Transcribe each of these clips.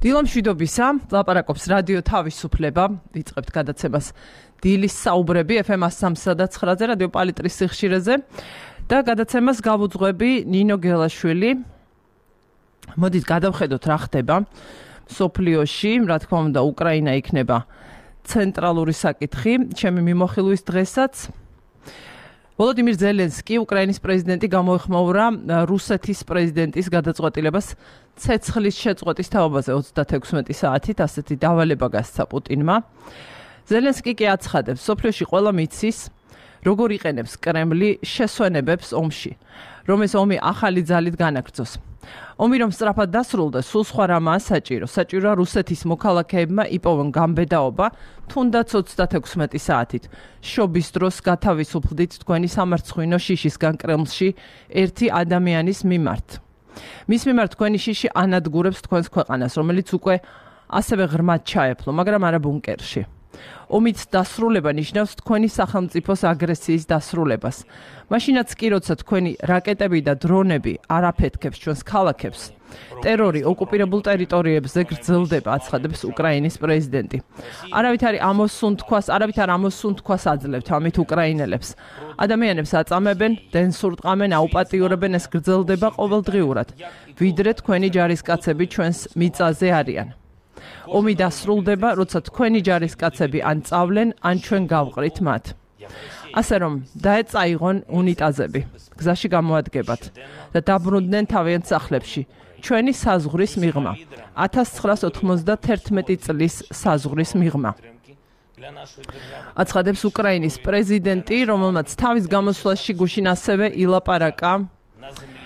დილამშვიდობისა, ლაპარაკობს რადიო თავისუფლება, ვიწყებთ გადაცემას დილის საუბრები FM 103.9-ზე, რადიო პალიტრის სიხშირეზე და გადაცემას გავუძღვები ნინო გელაშვილი. მოდით გადავხედოთ რა ხდება სოფლიოში, რა თქმა უნდა, უკრაინა იქნება ცენტრალური საკითხი, ჩემი მიმოხილვის დღესაც. ვოლოდიმირ ზელენსკი, უკრაინის პრეზიდენტი, გამოეხმაურა რუსეთის პრეზიდენტის გადაწყვეტილებას ცეცხლის შეწყვეტის თაობაზე 36 საათით, ასეთი დავალება გასცა პუტინმა. ზელენსკი კი აცხადებს, სოფლიოში ყველა მიცის, როგორ იყენებს კრემლი შესვენებებს ომში, რომ ეს ომი ახალი ძალით განაგრძოს. ომი რომ სწრაფად დასრულდეს, სულ სხვა რამაა საჭირო. საჭიროა რუსეთის მოქალაქეებმა იპოვონ გამბედაობა, თუნდაც 36 საათით. შობის დროს გათავისუფლდით თქვენი სამარცხვინო შიშისგან კრემლში ერთი ადამიანის მიმართ. მის მიმართ თქვენი შიში ანადგურებს თქვენს ქვეყანას, რომელიც უკვე ასევე ღრმად ჩაეფლო, მაგრამ არა ბუნკერში. ომის დასრულება ნიშნავს თქვენი სახელმწიფოს აგრესიის დასრულებას. მაშინაც კი, როცა თქვენი რაკეტები და დრონები არ აფეთქებს ჩვენს ქალაქებს, ტერორი ოკუპირებულ ტერიტორიებზე გრძელდება, აცხადებს უკრაინის პრეზიდენტი. არავით არ ამოსუნთქვას აძლევთ ამით უკრაინელებს. ადამიანებს აწამებენ, დენს ურტყამენ, აუპატიურებენ, ეს გრძელდება ყოველდღიურად, ვიდრე თქვენი ჯარისკაცები ჩვენს მიწაზე არიან. ომი დასრულდება, როცა თქვენი ჯარისკაცები ან წავლენ, ან ჩვენ გავყრით მათ. ასე რომ, დაეწაიღონ უნიტაზები, გზაში გამოადგებათ და დაბრუნდნენ თავიანთ სახლებში. ჩვენი საზღვრის მიღმა, 1991 წლის საზღვრის მიღმა. აცხადებს უკრაინის პრეზიდენტი, რომელმაც თავის გამოსვლაში გუშინ ასევე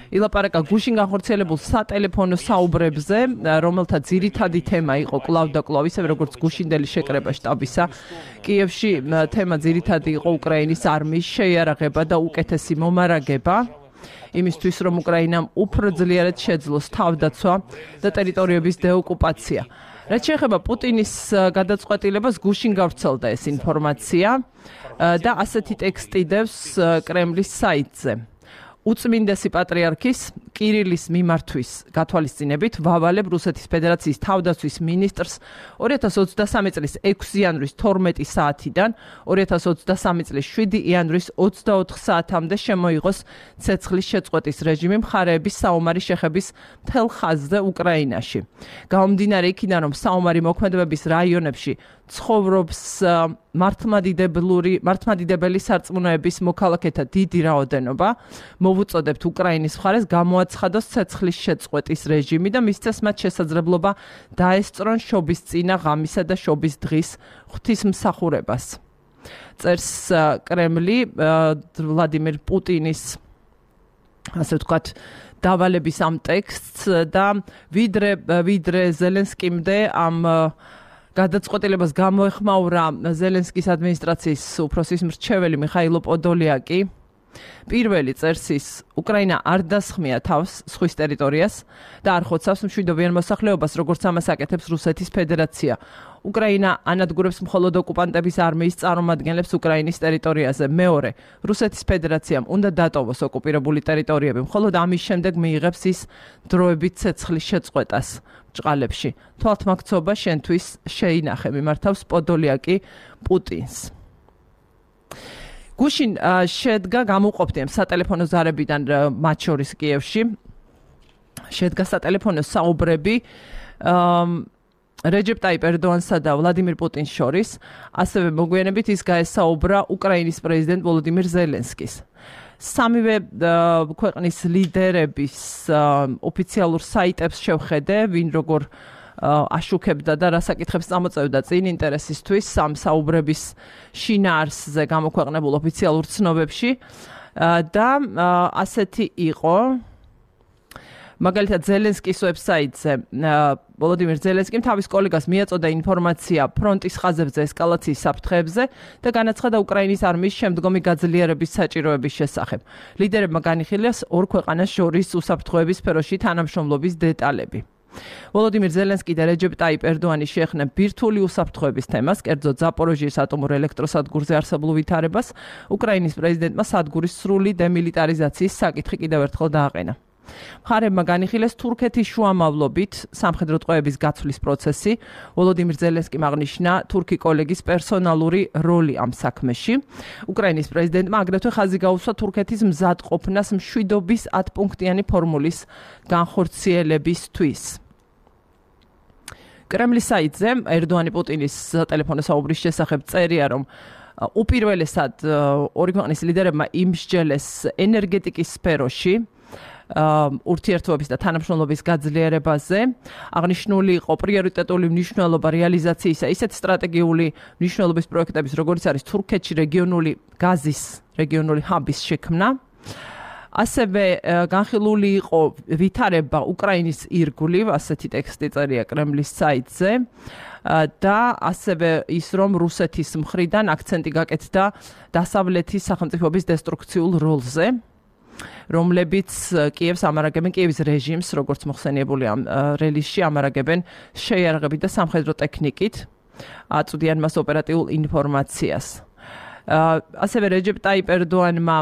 ილაპარაკა გუშინ განხორციელებულ სატელეფონო საუბრებზე, რომელთა ძირითადი თემა იყო კვლავ და კვლავ, ისევე როგორც გუშინდელი შეკრება შტაბისა. კიევში თემა ძირითადი იყო უკრაინის არმიის შეიარაღება და უკეთესი მომარაგება, იმისთვის რომ უკრაინამ უფრო ძლიერად შეძლოს თავდაცვა და ტერიტორიების დეოკუპაცია. რაც შეეხება პუტინის გადაწყვეტილებას, გუშინ გავრცელდა ეს ინფორმაცია და ასეთი ტექსტი დევს კრემლის საიტზე. უწმინდესი პატრიარქის კირილის მიმართვის გათვალისწინებით ვავალებ რუსეთის ფედერაციის თავდაცვის მინისტრს 2023 წლის 6 იანვრის 12 საათიდან 2023 წლის 7 იანვრის 24 საათამდე შემოიღოს ცეცხლის შეწყვეტის რეჟიმი მხარეების საომარი შეხების მთელ ხაზზე უკრაინაში. გამომდინარე იქიდან, რომ საომარი მოქმედებების რაიონებში ცხოვრობს მართლმადიდებელი სარწმუნოების მოქალაქეთა დიდი რაოდენობა, მოვუწოდებთ უკრაინის მხარეს გამოაცხადოს ცეცხლის შეწყვეტის რეჟიმი და მისცეს მათ შესაძლებლობა დაესწრონ შობისწინა ღამისა და შობის დღის ღვთისმსახურებას. წერს კრემლი ვლადიმირ პუტინის, ასე ვთქვათ, დავალების ამ ტექსტს და ვიდრე ზელენსკიმდე ამ გადაწყვეტილებას გამოეხმაურა ზელენსკის ადმინისტრაციის უფროსის მრჩეველი მიხაილო პოდოლიაკი. პირველი წერს ის, უკრაინა არ დასხმია თავს ზღვის ტერიტორიას და არ ხოცავს მშვიდობიან მოსახლეობას, როგორც ამას აკეთებს რუსეთის ფედერაცია. უკრაინა ანადგურებს მხოლოდ ოკუპანტების არმიის წარმომადგენლებს უკრაინის ტერიტორიაზე. მეორე, რუსეთის ფედერაციამ უნდა დატოვოს ოკუპირებული ტერიტორიები, მხოლოდ ამის შემდეგ მიიღებს ის დროებით ცეცხლის შეწყვეტას ჭყალებში. თვალთმაქცობა შენთვის შეინახე, მიმართავს პოდოლიაკი პუტინს. გუშინ შედგა გამოვყოფდი ამ სატელეფონო ზარებიდან მათ შორის კიევში. შედგა სატელეფონო საუბრები რეჯეპ ტაიპ ერდოანსა და ვლადიმირ პუტინს შორის, ასევე მოგვიანებით ის გაესაუბრა უკრაინის პრეზიდენტ ვოლოდიმირ ზელენსკის. სამივე ქვეყნის ლიდერების ოფიციალურ საიტებს შევხედე, ვინ როგორ აშუქებდა და რა საკითხებს წამოწევდა წინ ინტერესისთვის ამ საუბრების შინაარსზე გამოქვეყნებულ ოფიციალურ ცნობებში და ასეთი იყო. მაგალითად ზელენსკის ვებსაიტზე ვოლოდიმირ ზელენსკიმ თავის კოლეგას მიაწოდა ინფორმაცია ფრონტის ხაზებზე ესკალაციის საფრთხეებზე და განაცხადა უკრაინის არმიის შემდგომი გაძლიერების საჭიროების შესახებ. ლიდერებმა განიხილეს ორ ქვეყანას შორის უსაფრთხოების სფეროში თანამშრომლობის დეტალები. ვოლოდიმირ ზელენსკი და რეჯეპ ტაიპ ერდოანი შეეხნენ ბირთვული უსაფრთხოების თემას, კერძოდ ზაპოროჟიის ატომურ ელექტროსადგურზე არსებულ ვითარებას. უკრაინის პრეზიდენტმა სადგურის სრული დემილიტარიზაციის საკითხი კიდევ ერთხელ დააყენა. მხარეებმა განიხილეს თურქეთის შუამავლობით სამხედრო ტყვეების გაცვლის პროცესი. ვოლოდიმირ ზელენსკიმ აღნიშნა თურქი კოლეგის პერსონალური როლი ამ საქმეში. უკრაინის პრეზიდენტმა აგრეთვე ხაზი გაუსვა თურქეთის მზადყოფნას მშვიდობის 10-პუნქტიანი ფორმულის განხორციელებისთვის. კრემლის საიტზე ერდოანი პუტინის ტელეფონზე საუბრის შესახებ წერია, რომ უპირველესად ორი ქვეყნის ლიდერებმა იმსჯელეს ენერგეტიკის სფეროში ურთიერთობების და თანამშრომლობის გაძლიერებაზე. აღნიშნული იყო პრიორიტეტული მნიშვნელობა რეალიზაციისა ისეთ სტრატეგიული მნიშვნელობის პროექტების, როგორც არის თურქეთში რეგიონული გაზის რეგიონული ჰაბის შექმნა. ასევე განხილული იყო ვითარება უკრაინის ირგვლივ, ასეთი ტექსტი წერია კრემლის საიტზე. და ასევე ის, რომ რუსეთის მხრიდან აქცენტი გაკეთდა დასავლეთის სახელმწიფოების დესტრუქციულ როლზე, რომლებიც კიევს ამარაგებენ, კიევის რეჟიმს, როგორც მოხსენიებული ამ რელიზში, ამარაგებენ შეიარაღებით და სამხედრო ტექნიკით, აწვდიან მას ოპერატიულ ინფორმაციას. ასევე რეჯეპ ტაიპ ერდოანმა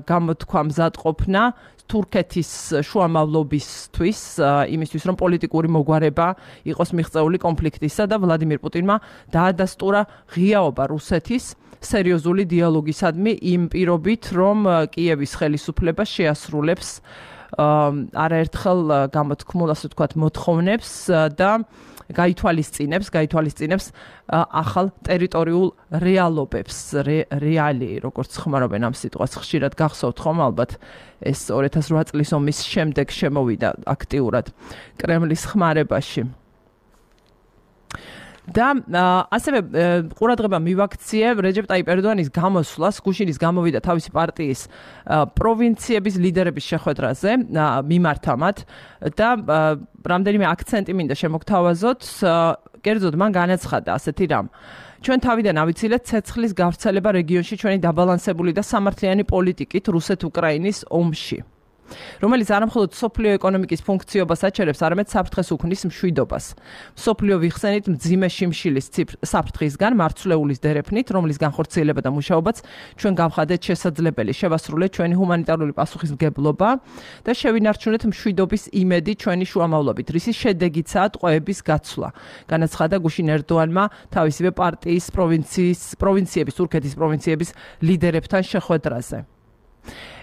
გამოთქვა მზადყოფნა თურქეთის შუამავლობისთვის, იმისთვის, რომ პოლიტიკური მოგვარება იყოს მიღწეული კონფლიქტისა და ვლადიმირ პუტინმა დაადასტურა ღიაობა რუსეთის სერიოზული დიალოგისადმი იმ პირობით, რომ კიევის ხელისუფლება შეასრულებს არაერთხელ გამოთქმულ, ასე ვთქვათ, მოთხოვნებს და გაითვალისწინებს ახალ ტერიტორიულ რეალობებს, რეალი, როგორც ხმარობენ ამ სიტყვას, ხშირად გახსოვთ ხომ ალბათ ეს 2008 წლის ომის შემდეგ შემოვიდა აქტიურად კრემლის ხმარებაში. და ასევე ყურადღება მივაქციე რეჯეპ ტაიპ ერდოანის გამოსვლას, გუშინის გამოვიდა თავისი პარტიის პროვინციების ლიდერების შეხვედრაზე მიმართა და რამდენიმე აქცენტი მინდა შემოგთავაზოთ. კერძოდ მან განაცხადა ასეთი რამ: ჩვენ თავიდან ავიცილეთ ცეცხლის გავრცელება რეგიონში ჩვენი დაბალანსებული და სამართლიანი პოლიტიკით რუსეთ-უკრაინის ომში, რომელიც არამხოლოდ სოფლიო ეკონომიკის ფუნქციობას აჩერებს, არამედ საფრთხეს უქმნის მშვიდობას. სოფლიო ვიხსენით მძიმე შიმშილის საფრთხისგან, მარცვლეულის დერეფნით, რომლის განხორციელება და მუშაობაც ჩვენ გავხადეთ შესაძლებელი, შევასრულეთ ჩვენი ჰუმანიტარული პასუხისმგებლობა და შევინარჩუნეთ მშვიდობის იმედი ჩვენი შუამავლობით, რისის შედეგიცაა ტყვეების გაცვლა. განაცხადა გუშინ ერდოანმა თავისივე პარტიის პროვინციების, თურქეთის პროვინციების ლიდერებთან შეხვედრაზე.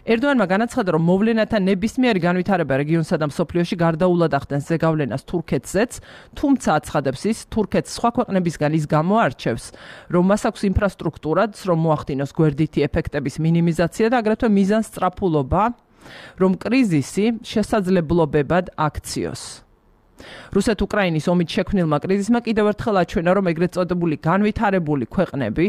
ერდოანმა განაცხადა, რომ მოვლენათა ნებისმიერი განვითარება რეგიონსა და მსოფლიოში გარდაულად ახდენს ზეგავლენას თურქეთზეც, თუმცა აცხადებს ის, თურქეთს სხვა ქვეყნებისგან ის გამოარჩევს, რომ მას აქვს ინფრასტრუქტურაც, რომ მოახდინოს გვერდითი ეფექტების მინიმიზაცია და აგრეთვე მიზანსწრაფულობა, რომ კრიზისი შესაძლებლობებად აქციოს. რუსეთ-უკრაინის ომით შექმნილმა კრიზისმა კიდევ ერთხელ აჩვენა, რომ ეგრეთ წოდებული განვითარებული ქვეყნები,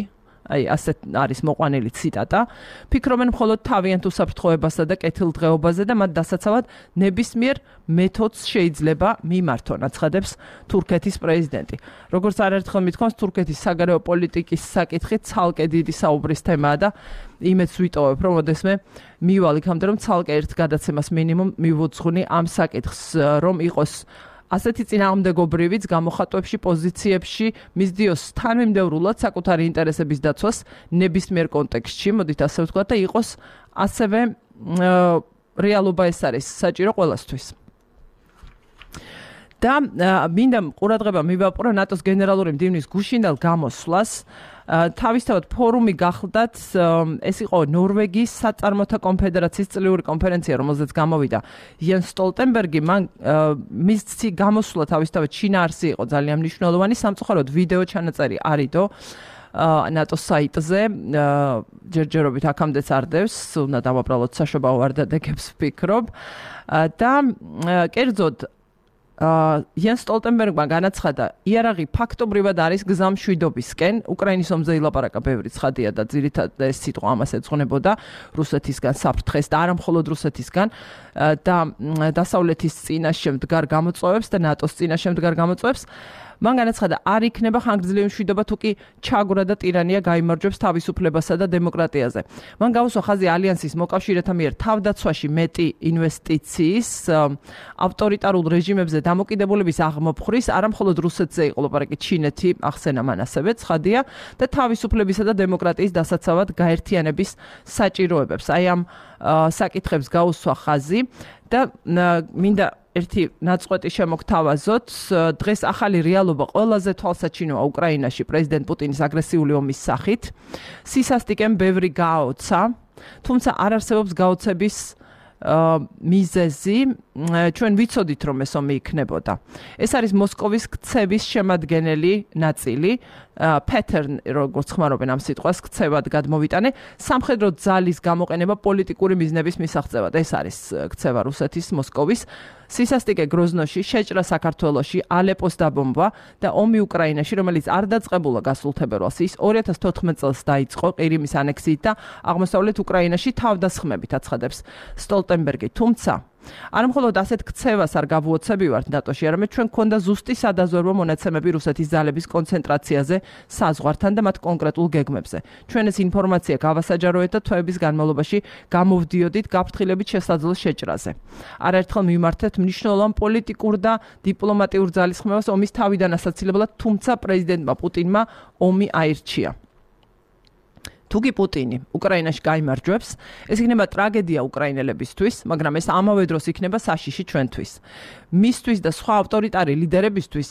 ასეთ არის მოყვანილი ციტატა, ფიქრობენ მხოლოდ თავიანთ უსაფრთხოებასა და კეთილდღეობაზე და მათ დასაცავად ნებისმიერ მეთოდს შეიძლება მიმართონ, აცხადებს თურქეთის პრეზიდენტი. როგორც არაერთხელ მithქვამს, თურქეთის საგარეო პოლიტიკის საკითხი ცალკე დიდი საუბრის თემაა და იმედს ვიტოვებ, რომ ოდესმე მივალ იქამდე, რომ ცალკე ერთ გადაცემას მინიმუმ მივუძღვნი ამ საკითხს, რომ იყოს ასეთი წინააღმდეგობრივიც გამოხატვებში, პოზიციებში მისდიოს თანმიმდევრულად საკუთარი ინტერესების დაცვას ნებისმიერ კონტექსტში, მოდით ასე ვთქვათ, და იყოს ასევე რეალობა ეს არის საჭირო ყველასთვის. და მინდა ყურადღება მივაპყრო ნატოს გენერალური მდივნის გუშინდელ გამოსვლას. თავისთავად ფორუმი გახლდათ, ეს იყო ნორვეგიის საწარმოთა კონფედერაციის წლიური კონფერენცია, რომელზეც გამოვიდა იენს სტოლტენბერგი. მან მისი გამოსვლა თავისთავად შინაარსი იყო ძალიან მნიშვნელოვანი, სამწუხაროდ ვიდეო ჩანაწერი არიდო ნატოს საიტზე, ჯერჯერობით აქამდეც არდევს, უნდა დავაბრალოთ საშობაო ვარდადეგებს ვფიქრობ. და კერძოდ იენს სტოლტენბერგმა განაცხადა, იარაღი ფაქტობრივად არის გზა მშვიდობისკენ. უკრაინის ომზე ილაპარაკა ბევრი ცხადია და ძირითადად ეს სიტყვა ამას ეძღვნებოდა რუსეთისგან საფრთხეს და არა მხოლოდ რუსეთისგან და დასავლეთის წინაშე მდგარ გამოწვევებს და ნატოს წინაშე მდგარ გამოწვევებს. მან განაცხადა, არ იქნება ხანგრძლივი მშვიდობა თუ კი ჩაგვრა და ტირანია გაიმარჯვებს თავისუფლებასა და დემოკრატიაზე. მან გაუსვა ხაზი ალიანსის მოკავშირეთა მიერ თავდაცვაში მეტი ინვესტიციის ავტორიტარულ რეჟიმებზე დამოკიდებულების აღმოფხვრის, არა მხოლოდ რუსეთზე იყო ლაპარაკი, ჩინეთი ახსენა მან ასევე ცხადია და თავისუფლებისა და დემოკრატიის დასაცავად გაერთიანების საჭიროებებს. აი ამ საკითხებს გაუსვა ხაზი და მინდა ერთი ნაწყვეტი შემოგთავაზოთ. დღეს ახალი რეალობა ყველაზე თვალსაჩინოა უკრაინაში პრეზიდენტ პუტინის აგრესიული ომის სახით. სისასტიკემ ბევრი გააოცა, თუმცა არ არსებობს გაოცების მიზეზი. ჩვენ ვიცოდით, რომ ეს ომი იქნებოდა. ეს არის მოსკოვის ქცევის შემადგენელი ნაწილი. pattern როგორც ხმარობენ ამ სიტყვას, ქცევად გადმოვიტანე, სამხედრო ძალის გამოყენება პოლიტიკური მიზნების მისაღწევად. ეს არის ქცევა რუსეთის, მოსკოვის. სისასტიკე გროზნოში, შეჭრა საქართველოში, ალეპოს დაბომბვა და ომი უკრაინაში, რომელიც არ დაწყებულა გასულ თებერვალს, ის 2014 წელს დაიწყო ყირიმის ანექსიით და აღმოსავლეთ უკრაინაში თავდასხმებით აცხადებს სტოლტენბერგი. თუმცა არ მხოლოდ ასეთ ქცევას არ გავუოცებივართ ნატოში, არამედ ჩვენ გვქონდა ზუსტი სადაზვერვო მონაცემები რუსეთის ძალების კონცენტრაციაზე საზღვართან და მათ კონკრეტულ გეგმებზე. ჩვენ ეს ინფორმაცია გავასაჯაროეთ და თვეების განმავლობაში გამოვდიოდით გაფრთხილებით შესაძლო შეჭრაზე. არაერთხელ მიმართეთ მნიშვნელოვან პოლიტიკურ და დიპლომატიურ ძალისხმევას ომის თავიდან ასაცილებლად, თუმცა პრეზიდენტმა პუტინმა ომი აირჩია. თუკი პუტინი უკრაინაში გაიმარჯვებს, ეს იქნება ტრაგედია უკრაინელებისთვის, მაგრამ ეს ამავე დროს იქნება საშიში ჩვენთვის. მისთვის და სხვა ავტორიტარი ლიდერებისთვის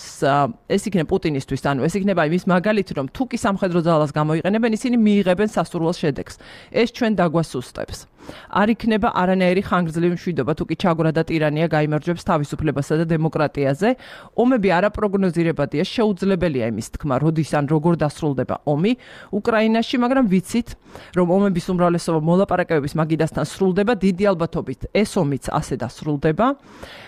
ეს იქნება პუტინისთვის, ანუ ეს იქნება იმის მაგალითი, რომ თუკი სამხედრო ძალას გამოიყენებენ, ისინი მიიღებენ სასურველ შედეგს. ეს ჩვენ დაგვასუსტებს. არ იქნება არანაირი ხანგრძლივი მშვიდობა, თუკი ჩაგვრა და ტირანია გაიმარჯვებს თავისუფლებასა და დემოკრატიაზე. ომები არაპროგნოზირებადია, შეუძლებელია იმის თქმა, როდის ან როგორ დასრულდება ომი უკრაინაში, მაგრამ ვიცით, რომ ომების უმრავლესობა მოლაპარაკებების მაგიდასთან სრულდება, დიდი ალბათობით ეს ომიც ასე დასრულდება.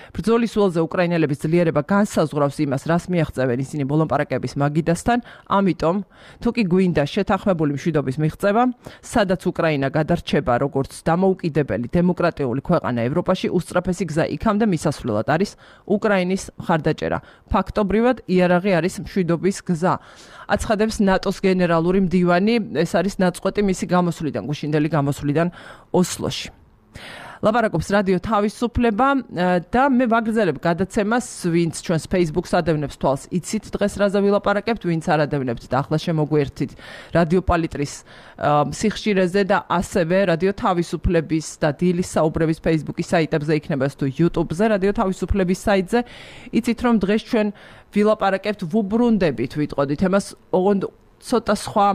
ბრძოლის ველზე უკრაინელების ძლიერება განსაზღვრავს იმას, რას მიაღწევენ ისინი მოლაპარაკების მაგიდასთან, ამიტომ თუკი გვინდა შეთანხმებული მშვიდობის მიღწევა, სადაც უკრაინა გადარჩება როგორც დამოუკიდებელი დემოკრატიული ქვეყანა ევროპაში, უსწრაფესი გზა იქამდე მისასვლელად არის უკრაინის მხარდაჭერა. ფაქტობრივად იარაღი არის მშვიდობის გზა. აცხადებს ნატოს გენერალური მდივანი, ეს არის ნაწყვეტი მისი გამოსვლიდან, გუშინდელი გამოსვლიდან ოსლოში. ლაპარაკობს რადიო თავისუფლება და მე ვაგრძელებ გადაცემას, ვინც ჩვენს Facebook-ს ადევნებს თვალს, იცით დღეს რაზე ვილაპარაკებთ, ვინც არ ადევნებთ და ახლა შემოგვერთით რადიო პალიტრის სიხშირეზე და ასევე რადიო თავისუფლების და დილის საუბრების Facebook-ის საიტებზე იქნება თუ YouTube-ზე, რადიო თავისუფლების საიტზე. იცით რომ დღეს ჩვენ ვილაპარაკებთ, ვუბრუნდებით, ვიტყოდით ემას ოღონდ ცოტა სხვა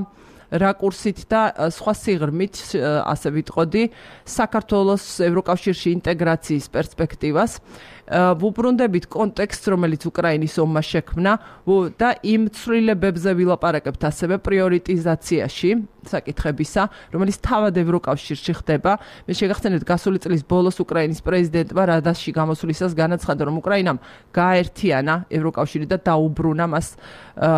რაკურსით და სხვა სიღრმით, ასე ვიტყოდი, საქართველოს ევროკავშირში ინტეგრაციის პერსპექტივას. ვუბრუნდებით კონტექსტს, რომელიც უკრაინის ომმა შექმნა და იმ ცვლილებებზე ვილაპარაკებთ ასევე პრიორიტიზაციაში საკითხებისა, რომელიც თავად ევროკავშირში ხდება. მე შეგახსენებთ, გასული წლის ბოლოს უკრაინის პრეზიდენტმა რადაში გამოსვლისას განაცხადა, რომ უკრაინამ გააერთიანა ევროკავშირი და დაუბრუნა მას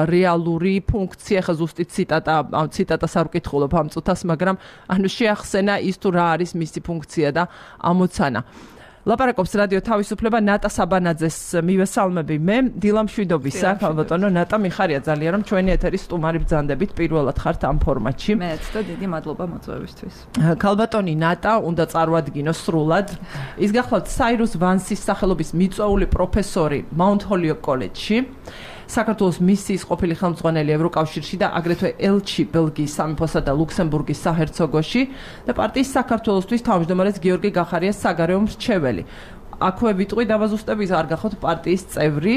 რეალური ფუნქცია. ხა ზუსტი ციტატას არ ვკითხულობ ამ წუთას, მაგრამ ანუ შეახსენა ის თუ რა არის მისი ფუნქცია და ამოცანა. ლაპარაკობს რადიო თავისუფლება, ნატა საბანაძეს მივესალმები მე, დილა მშვიდობისა, ქალბატონო ნატა, მიხარია ძალიან, რომ ჩვენი ეთერის სტუმარი ბრძანდებით პირველად ხართ ამ ფორმატში. მეც და დიდი მადლობა მოწვევისთვის. ქალბატონი ნატა უნდა წარვადგინო სრულად. ის გახლავთ საირუს ვანსის სახელობის მიწვეული პროფესორი მაუნთ ჰოლიოკ კოლეჯში. საქართველოს მისიის ყოფილი ხელმძღვანელი ევროკავშირში და აგრეთვე ელჩი ბელგიის სამეფოსა და ლუქსემბურგის საჰერცოგოში და პარტიის საქართველოსთვის თავმჯდომარეს გიორგი გახარიას საგარეო მრჩეველი. აქვე ვიტყვი დავაზუსტების არ გახოთ პარტიის წევრი.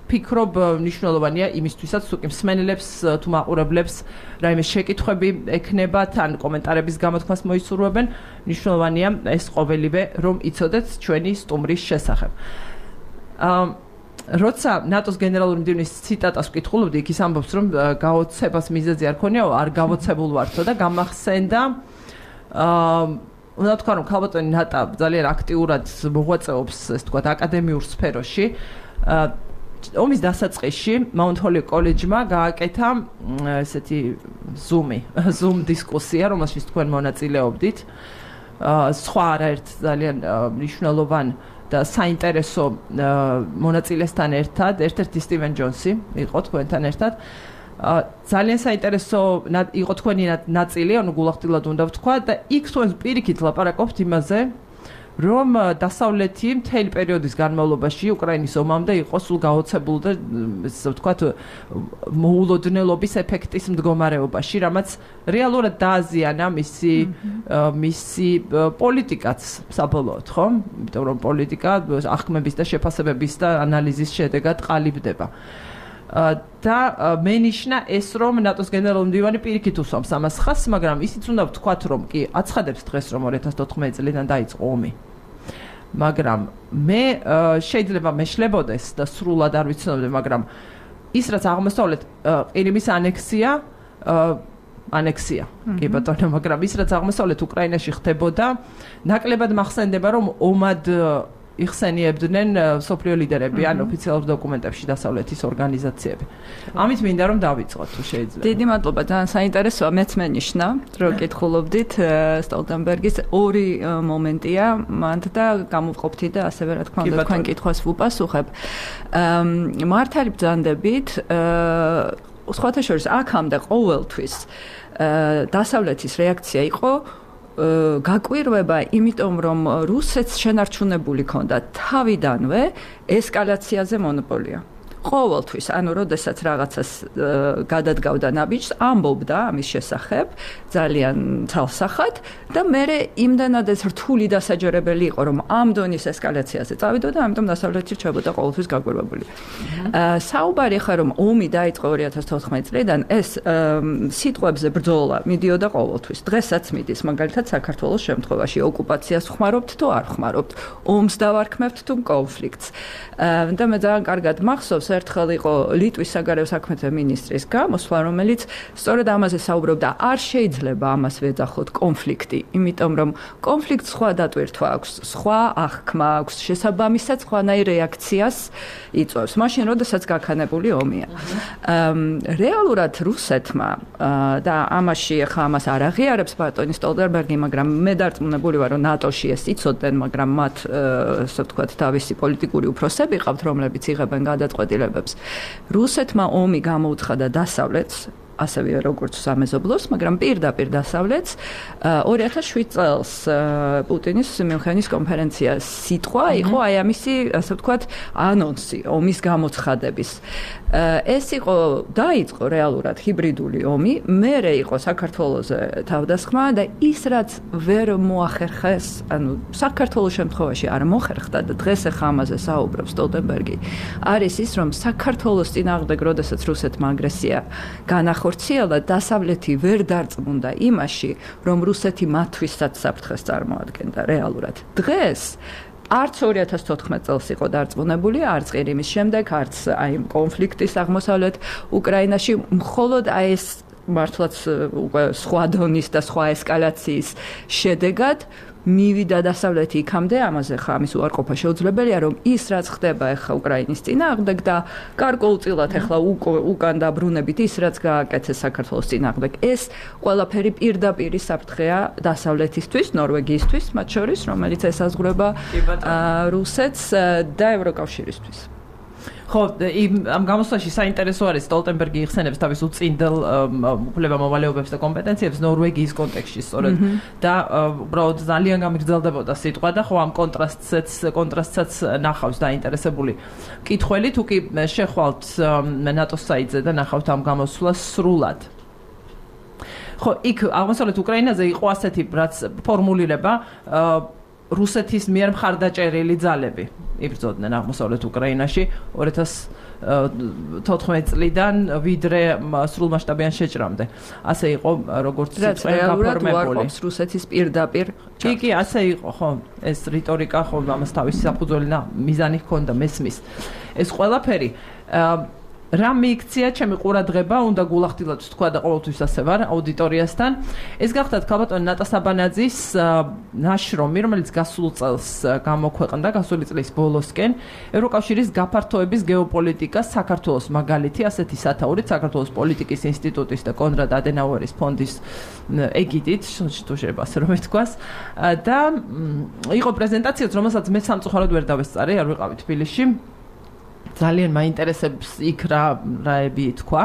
ფიქრობ მნიშვნელოვანია იმისთვისაც თუ კი მსმენელებს თუ მაყურებლებს რაიმე შეკითხვები ექნებათ ან კომენტარების გამოთქმას მოისურვებენ, მნიშვნელოვანია ეს ყოველივე რომ იცოდეთ ჩვენი სტუმრის შესახებ. როცა ნატოს გენერალური მდივნის ციტატას ვკითხულობდი, იქ ის ამბობს, რომ გაოცებას მიზეზი არ ქონიაო, არ გავოცებულ ვართო და გამახსენდა უნდა თქვა, რომ ქალბატონი ნატა ძალიან აქტიურად მოღვაწეობს, ესე ვთქვათ, აკადემიურ სფეროში. ომის დასაწყისში მაუნთ ჰოლიოკ კოლეჯმა გააკეთა ესეთი Zoom დისკუსია, რომელშიც თქვენ მონაწილეობდით. სხვა არაერთ ძალიან მნიშვნელოვან და საინტერესო მონაწილესთან ერთად, ერთ-ერთი სტივენ ჯონსი იყო თქვენთან ერთად. ძალიან საინტერესო იყო თქვენი ნაწილი, ანუ გულახდილად უნდა ვთქვა და იქ თქვენ პირიქით ლაპარაკობთ იმაზე, რომ დასავლეთი მთელი პერიოდის განმავლობაში უკრაინის ომამდე იყო სულ გაოცებული და ესე ვთქვათ მოულოდნელობის ეფექტის მდგომარეობაში, რამაც რეალურად დააზიანა მისი პოლიტიკაც საბოლოოდ, ხო? იმიტომ რომ პოლიტიკა ახკმების და შეფასებების და ანალიზის შედეგად ყალიბდება. და მენიშნა ეს რომ ნატოს გენერალური მდივანი პირიქით უსვამს ამას ხაზს, მაგრამ ისიც უნდა ვთქვათ რომ კი აცხადებს დღეს რომ 2014 წლიდან დაიწყო ომი. მაგრამ მე შეიძლება მეშლებოდეს და სრულად არ ვიცნობდი, მაგრამ ის რაც აღმოსავლეთ ყირიმის ანექსია, კი ბატონო, მაგრამ ის რაც აღმოსავლეთ უკრაინაში ხდებოდა, ნაკლებად მახსენდება რომ ომად იხსენიებდნენ სოფლიო ლიდერები ან ოფიციალურ დოკუმენტებში დასავლეთის ორგანიზაციები. ამით მინდა რომ დავიწყოთ თუ შეიძლება. დიდი მადლობა, ძალიან საინტერესოა, მეც მენიშნა, რომ კითხულობდით სტოლტენბერგის ორი მომენტია, მანდ და გამოვყოფთი და ასევე რა თქმა უნდა თქვენ კითხვას ვუპასუხებ. მართალი ბრძანდებით, სხვათა შორის აქამდე ყოველთვის დასავლეთის რეაქცია იყო გაკვირვება, იმიტომ რომ რუსეთს შენარჩუნებული ქონდა თავიდანვე ესკალაციაზე მონოპოლია. ყოველთვის, ანუ როდესაც რაღაცას გადადგავდა ნაბიჯს, ამბობდა ამის შესახებ ძალიან ცალსახად და მერე იმდანად ეს რთული დასაჯერებელი იყო, რომ ამ დონის ესკალაციაზე წავიდოდა, ამიტომ დასავლეთი რჩებოდა ყოველთვის გაკვირვებული. საუბარი ხა რომ ომი დაიწყო 2014 წლიდან, ეს სიტყვებზე ბრძოლა მიდიოდა ყოველთვის. დღესაც მიდის, მაგალითად საქართველოს შემთხვევაში ოკუპაციას ხმარობთ თუ არ ხმარობთ, ომს დავარქმევთ თუ კონფლიქტს. და მე ძალიან კარგად მახსოვს ერთხელ იყო ლიტვის საგარეო საქმეთა მინისტრის გამოსვლა, რომელიც სწორედ ამაზე საუბრობდა, არ შეიძლება ამას ვეძახოთ კონფლიქტი, იმიტომ რომ კონფლიქტს სხვა დატვირთვა აქვს, სხვა აღქმა აქვს, შესაბამისად სხვანაირ რეაქციას იწვევს, მაშინ როდესაც გაქანებული ომია. რეალურად რუსეთმა და ამაში ახლა ამას არ აღიარებს ბატონი სტოლტენბერგი, მაგრამ მე დარწმუნებული ვარ, რომ ნატოში ეს იცოდნენ, მაგრამ მათ ასე ვთქვათ თავისი პოლიტიკური უფროსები ყავთ, რომლებიც იღებენ გადაწყვეტილებებს. რუსეთმა ომი გამოუცხადა დასავლეთს, ასევე როგორც სამეზობლოს, მაგრამ პირდაპირ დასავლეთს 2007 წელს პუტინის მიუნხენის კონფერენცია სიტყვა იყო აი ამისი, ასე ვთქვათ, ანონსი ომის გამოცხადების. ეს იყო დაიწყო რეალურად ჰიბრიდული ომი, მერე იყო საქართველოზე თავდასხმა და ის რაც ვერ მოახერხეს, ანუ საქართველოს შემთხვევაში არ მოხერხდა და დღეს ახლა ამაზე საუბრობს სტოლტენბერგი, არის ის რომ საქართველოს წინააღმდეგ, როდესაც რუსეთმა აგრესია განახორციელა, დასავლეთი ვერ დარწმუნდა იმაში, რომ რუსეთი მათთვისაც საფრთხეს წარმოადგენდა რეალურად. დღეს არც 2014 წელს იყო დარწმუნებული, არც ყირიმის შემდეგ, არც აი კონფლიქტის აღმოსავლეთ უკრაინაში, მხოლოდ აი ეს მართლაც სხვა დონის და სხვა ესკალაციის შედეგად მივიდა დასავლეთი იქამდე, ამაზე ხა ამის უარყოფა შეუძლებელია, რომ ის რაც ხდება ახლა უკრაინის წინააღმდეგ და გარკვეულწილად ახლა უკან დაბრუნებით ის რაც გააკეთეს საქართველოს წინააღმდეგ, ეს ყველაფერი პირდაპირი საფრთხეა დასავლეთისთვის, ნორვეგიისთვის, მათ შორის, რომელიც ესაზღვრება რუსეთს და ევროკავშირისთვის. ხო, ამ გამოსვლაში საინტერესო არის სტოლტენბერგი იხსენებს თავის უწინდელ უფლებამოვალეობებს და კომპეტენციებს ნორვეგიის კონტექსტში სწორედ და უბრალოდ ძალიან გამიგრძელდებოდა სიტყვა და ხო ამ კონტრასტსაც ნახავს დაინტერესებული მკითხველი, თუ კი შეხვალთ ნატოს საიტზე და ნახავთ ამ გამოსვლას სრულად. ხო, იქ აღმოსავლეთ უკრაინაზე იყო ასეთი რაც ფორმულირება რუსეთის მიერ მხარდაჭერილი ძალები იბრძოდნენ აღმოსავლეთ უკრაინაში 2014 წლიდან ვიდრე სრულმასშტაბიან შეჭრამდე. ასე იყო როგორც გაფორმებული. რუსეთის პირდაპირ. კი, ასე იყო, ხო, ეს რიტორიკა ხო ამას თავისი საფუძველი და მიზანი ჰქონდა მესმის. ეს ყველაფერი რა მიიქცია ჩემი ყურადღება, უნდა გულახდილად თქვა და ყოველთვის ასე ვარ აუდიტორიასთან. ეს გახდათ ქალბატონი ნატა საბანაძის ნაშრომი, რომელიც გასულ წელს გამოქვეყნდა, გასული წლის ბოლოსკენ, ევროკავშირის გაფართოების გეოპოლიტიკა საქართველოს მაგალითი, ასეთი სათაურით საქართველოს პოლიტიკის ინსტიტუტის და კონრად ადენაუერის ფონდის ეგიდით, თუ შეიძლება ასე რომ ითქვას. და იყო პრეზენტაციაც, რომელსაც მე სამწუხაროდ ვერ დავესწარი, არ ვიყავი თბილისში. ძალიან მაინტერესებს იქ რაები თქვა,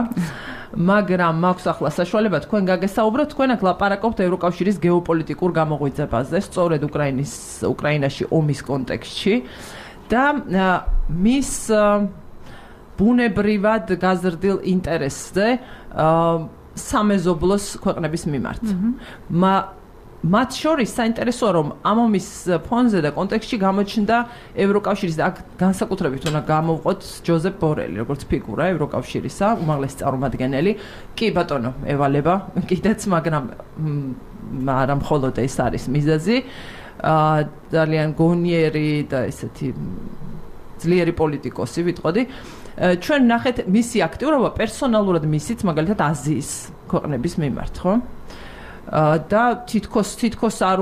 მაგრამ მაქვს ახლა საშუალება თქვენ გაგესაუბროთ, თქვენ აქ ლაპარაკობთ ევროკავშირის გეოპოლიტიკურ გამოღვიძებაზე, სწორედ უკრაინაში ომის კონტექსტში და მის ბუნებრივად გაზრდილ ინტერესზე სამეზობლოს ქვეყნების მიმართ. მათ შორის საინტერესოა, რომ ამ ომის ფონზე და კონტექსტში გამოჩნდა ევროკავშირის და აქ განსაკუთრებით უნდა გამოვყოთ ჯოზეფ ბორელი, როგორც ფიგურა ევროკავშირისა, უმაღლესი წარმომადგენელი. კი ბატონო, ევალება კიდეც, მაგრამ არა მხოლოდ ეს არის მიზეზი. ძალიან გონიერი და ესეთი ძლიერი პოლიტიკოსი ვიტყოდი. ჩვენ ნახეთ მისი აქტიურობა პერსონალურად მისიც, მაგალითად აზიის ქვეყნების მიმართ, ხო? და თითქოს არ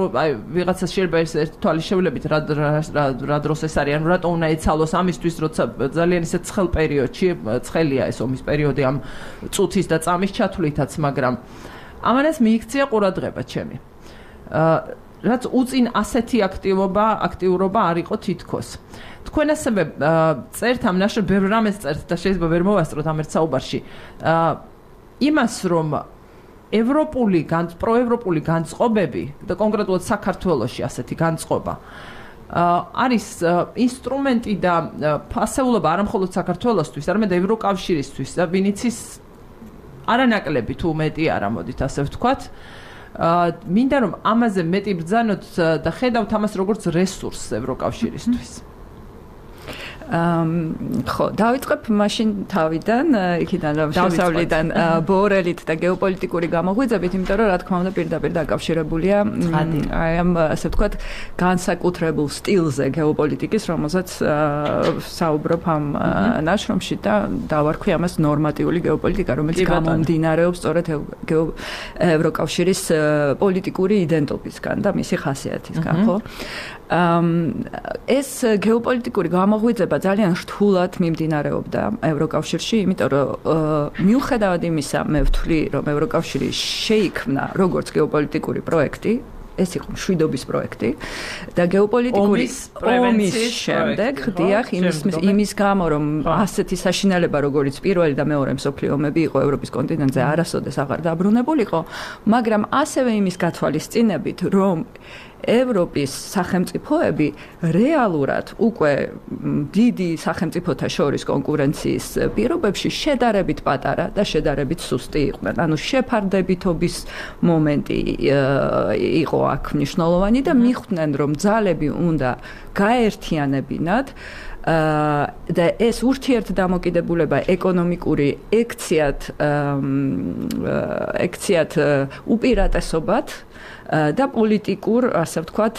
ვიღაცა შეიძლება ეს ერთ თვალის შევლებით რა დროს ეს არის, ანუ რატო უნდა ეცალოს ამისთვის, როცა ძალიან ისე ცხელ პერიოდში, ცხელია ეს ომის პერიოდი ამ წუთის და წამის ჩათვლითაც, მაგრამ ამანაც მიიქცია ყურადღება ჩემი. რაც უწინ ასეთი აქტიურობა არ იყო თითქოს. თქვენ ასევე წერთ ამ ნაშრომს, ბევრ რამეს წერთ და შეიძლება ვერ მოვასწროთ ამ ერთ საუბარში. იმას რომ პროევროპული განწყობები და კონკრეტულად საქართველოში ასეთი განწყობა არის ინსტრუმენტი და ფასეულობა არა მხოლოდ საქართველოსთვის, არამედ ევროკავშირისთვის და ვინიცის არანაკლები თუ მეტი არა, მოდით ასე ვთქვათ. მინდა რომ ამაზე მეტი ბრძანოთ და ხედავთ ამას როგორც რესურსს ევროკავშირისთვის. ხო, დავიწყებ მაშინ თავიდან, იქიდან რომ შესავლიდან ბორელით და გეოპოლიტიკური გამოღვიძებით, იმიტომ რომ რა თქმა უნდა პირდაპირ დაკავშირებულია აი ამ ასე ვთქვათ განსაკუთრებულ სტილზე გეოპოლიტიკის, რომელზეც საუბრობ ამ ნაშრომში და დავარქვი ამას ნორმატიული გეოპოლიტიკა, რომელიც გამომდინარეობს სწორედ ევროკავშირის პოლიტიკური იდენტობისგან და მისი ხასიათისგან, ხო? ეს გეოპოლიტიკური გამოღვიძება ძალიან რთულად მიმდინარეობდა ევროკავშირში, იმიტომ რომ მიუხედავად იმისა, მე ვთვლი, რომ ევროკავშირი შეიქმნა როგორც გეოპოლიტიკური პროექტი, ეს იყო მშვიდობის პროექტი და გეოპოლიტიკური ომის შემდეგ, დიახ, იმის გამო, რომ ასეთი საშინელება, როგორც პირველი და მეორე მსოფლიო ომები იყო ევროპის კონტინენტზე, არასოდეს აღარ დაბრუნებულიყო, მაგრამ ასევე იმის გათვალისწინებით, რომ ევროპის სახელმწიფოები რეალურად უკვე დიდი სახელმწიფოთა შორის კონკურენციის პირობებში შედარებით პატარა და შედარებით სუსტი იყვნენ. ანუ შეფარდებითობის მომენტი იყო აქ მნიშვნელოვანი და მიხვდნენ, რომ ძალები უნდა გაერთიანებინათ და ეს ურთიერთდამოკიდებულება ეკონომიკური ექციათ უპირატესობად და პოლიტიკურ, ასე ვთქვათ,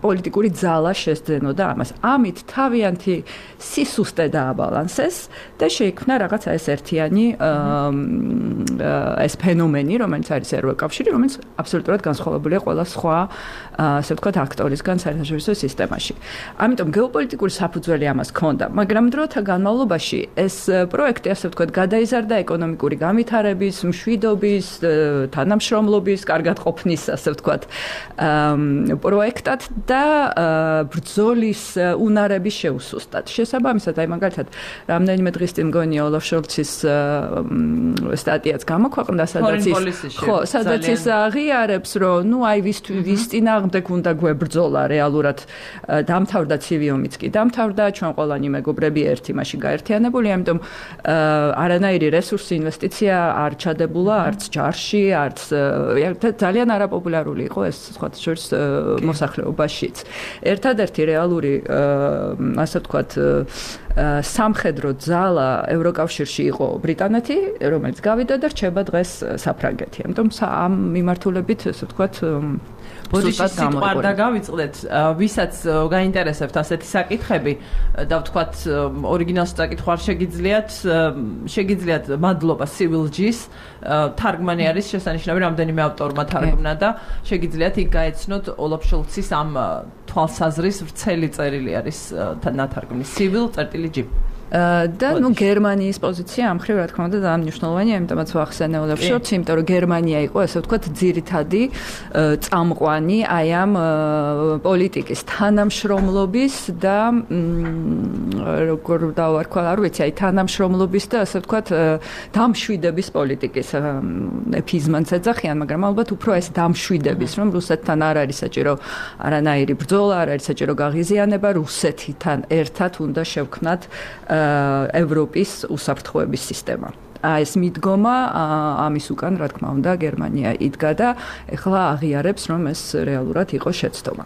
პოლიტიკური ძალა შესძენოდა ამას. ამით თავიანთი სისუსტე დააბალანსეს და შეიქმნა რაღაცა ეს ერთიანი ეს ფენომენი, რომელიც არის ევროკავშირი, რომელიც აბსოლუტურად განსხვავებულია ყველა სხვა, ასე ვთქვათ, აქტორისგან საერთაშორისო სისტემაში. ამიტომ გეოპოლიტიკური საფუძველი ამას ჰქონდა, მაგრამ დროთა განმავლობაში ეს პროექტი, ასე ვთქვათ, გადაიზარდა ეკონომიკური განვითარების, მშვიდობის, თანამშრომლობის, კარგად ყოფნის, ასე ვთქვათ, პროექტად და ბრძოლის უნარების შეუსუსტად. შესაბამისად, აი მაგალითად, რამდენიმე დღის წინ მგონია ოლაფ შოლცის სტატიაც გამოქვეყნდა, სადაც ის აღიარებს, რომ ნუ აი ვის წინააღმდეგ უნდა გვებრძოლა რეალურად დამთავრდა ცივი ომიც კი დამთავრდა, ჩვენ ყველანი მეგობრები ერთი მასში გაერთიანებული, ამიტომ არანაირი რესურსი, ინვესტიცია არ ჩადებულა არც ჯარში, არც ძალიან არაპოპულარული იყო ეს სხვათა შორის მოსახლეობაშიც. ერთადერთი რეალური, ასე ვთქვათ, სამხედრო ძალა ევროკავშირში იყო ბრიტანეთი, რომელიც გავიდა და რჩება დღეს საფრანგეთი. ამიტომ ამ მიმართულებით, ასე ვთქვათ, ბოდიში სიტყვა არ დავიწყდეთ, ვისაც გაინტერესებთ ასეთი საკითხები და ვთქვათ, ორიგინალს წაკითხვა არ შეგიძლიათ მადლობა Civil-G-ს, თარგმანი არის შესანიშნავი, რამდენიმე ავტორმა თარგმნა და შეგიძლიათ იქ გაეცნოთ ოლაფ შოლცის ამ თვალსაზრის ვრცელი წერილი არის ნათარგმნი Civil-G. და გერმანიის პოზიცია ამ ხრივ რა თქმა უნდა ძალიან მნიშვნელოვანია, იმიტომაც ვახსენე ოლაფ შოლცს, იმიტომ რომ გერმანია იყო ასე ვთქვათ ძირითადი წამყვანი აი ამ პოლიტიკის თანამშრომლობის და როგორ დავარქვა, არ ვიცი, აი თანამშრომლობის და ასე ვთქვათ დამშვიდების პოლიტიკის ეფიზმანს ეძახიან, მაგრამ ალბათ უფრო ეს დამშვიდების, რომ რუსეთთან არ არის საჭირო არანაირი ბრძოლა, არ არის საჭირო გაღიზიანება, რუსეთთან ერთად უნდა შევქმნათ ევროპის უსაფრთხოების სისტემა. ეს მიდგომა ამის უკან, რა თქმა უნდა, გერმანია იდგა და ეხლა აღიარებს, რომ ეს რეალურად იყო შეცდომა.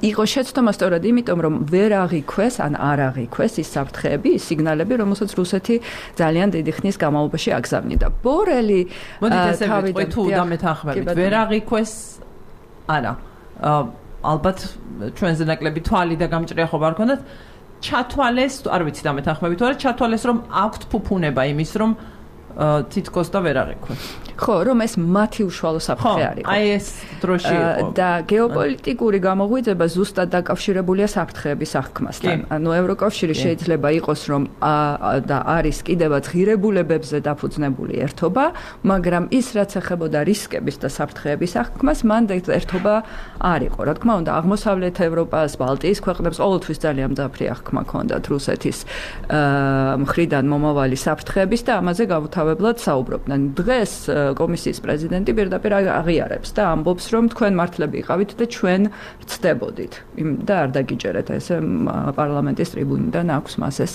იყო შეცდომა სწორედ იმიტომ, რომ ვერ აღიქვეს, ან არ აღიქვეს ის საფრთხეები, ის სიგნალები, რომელსაც რუსეთი ძალიან დიდი ხნის განმავლობაში აგზავნიდა. ბორელი მოდით ესე ვიტყვი თუ დამეთანხმებით, ვერ აღიქვეს არა. ალბათ ჩვენზე ნაკლები თვალი და გამჭრიახობა არ ქონდათ. ჩათვალეს, არ ვიცი დამეთანხმებით, არა, ჩათვალეს, რომ აქვთ ფუფუნება იმის, რომ თითქოს და ვერ აღიქვეს. ხო, რომ ეს მათი უშუალო საფრთხე არის. აი ეს დროში იყო. და გეოპოლიტიკური გამოღვიძება ზუსტად დაკავშირებულია საფრთხეების აღქმასთან. ანუ ევროკავშირი შეიძლება იყოს, რომ და არის კიდევაც ღირებულებებზე დაფუძნებული ერთობა, მაგრამ ის რაც ეხებოდა რისკების და საფრთხეების აღქმას, მან ერთობა არ იყო. რა თქმა უნდა, აღმოსავლეთ ევროპას, ბალტიის ქვეყნებს ყოველთვის ძალიან მძაფრი აღქმა ჰქონდათ რუსეთის მხრიდან მომავალი საფრთხეების და ამაზე გავუთავებლად საუბრობდნენ. დღეს კომისიის პრეზიდენტი პირდაპირ აღიარებს და ამბობს, რომ თქვენ მართლები იყავით და ჩვენ ვწდებოდით. და არ დაგიჯერეთ ეს პარლამენტის ტრიბუნიდან აქვს მას ეს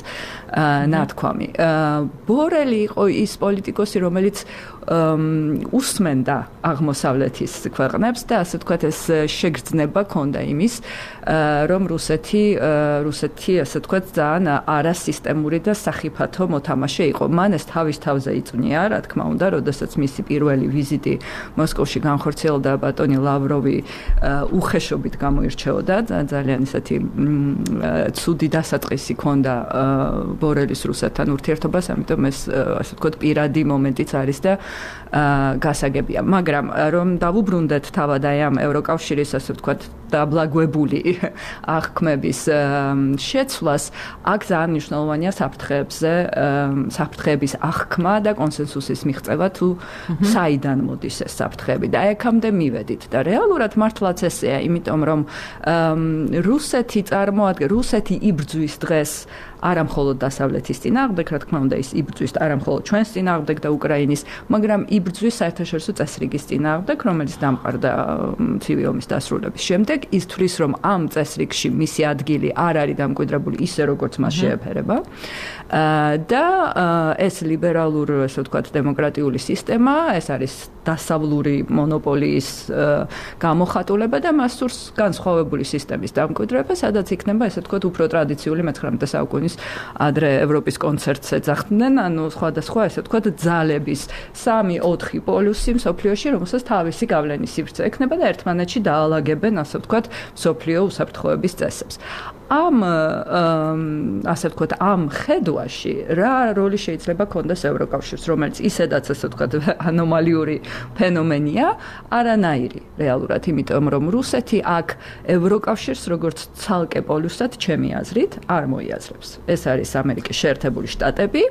ნათქვამი. ბორელი იყო ის პოლიტიკოსი, რომელიც უსმენდა აღმოსავლეთის ქვეყნებს და ასე ვთქვათ ეს შეგრძნება ჰქონდა იმის, რომ რუსეთი ასე ვთქვათ ძალიან არასისტემური და სახიფათო მოთამაშე იყო. მან ეს თავის თავზე იწვნია, რა თქმა უნდა, როდესაც მისი პირველი ვიზიტი მოსკოვში განხორციელდა, ბატონი ლავროვი უხეშობით გამოირჩეოდა, ძალიან ისეთი ცუდი დასაწყისი ჰქონდა ბორელის რუსეთთან ურთიერთობას, ამიტომ ეს ასე ვთქვათ პირადი მომენტიც არის და გასაგებია. მაგრამ რომ დავუბრუნდეთ თავად აი ამ ევროკავშირის ასე ვთქვათ დაბლაგვებული აღქმების შეცვლას, აქ ძალიან მნიშვნელოვანია საფრთხეების აღქმა და კონსენსუსის მიღწევა, თუ საიდან მოდის ეს საფრთხეები და აქამდე მივედით და რეალურად მართლაც ესეა, იმიტომ რომ რუსეთი იბრძვის დღეს არა მხოლოდ დასავლეთის წინააღმდეგ, რა თქმა უნდა, ის იბრძვის არა მხოლოდ ჩვენს წინააღმდეგ და უკრაინის, მაგრამ იბრძვის საერთაშორისო წესრიგის წინააღმდეგ, რომელიც დამყარდა ცივი ომის დასრულების შემდეგ. ის თვლის, რომ ამ წესრიგში მისი ადგილი არ არის დამკვიდრებული ისე, როგორც მას შეეფერება. და ეს ლიბერალურ, ასე ვთქვათ, დემოკრატიული სისტემა, ეს არის დასავლური მონოპოლიის გამოხატულება და მას სურს განსხვავებული სისტემის დამკვიდრება, სადაც იქნება, ასე ვთქვათ, უფრო ტრადიციული 19 საუკუნის ადრე ევროპის კონცერტს ეძახდნენ, ანუ სხვადასხვა, ასე ვთქვათ, ძალების 3-4 პოლუსი მსოფლიოში, რომელსაც თავისი გავლენის სივრცე ექნება და ერთმანეთში დაალაგებენ, ასე ვთქვათ, მსოფლიო უსაფრთხოების წესებს. ასე ვთქვათ, ამ ხედვაში რა როლი შეიძლება ქონდეს ევროკავშირს, რომელიც ისედაც ასე ვთქვათ ანომალიური ფენომენია, არანაირი რეალურად, იმიტომ რომ რუსეთი აქ ევროკავშირს როგორც ცალკე პოლუსად, ჩემი აზრით, არ მოიაზრებს. ეს არის ამერიკის შეერთებული შტატები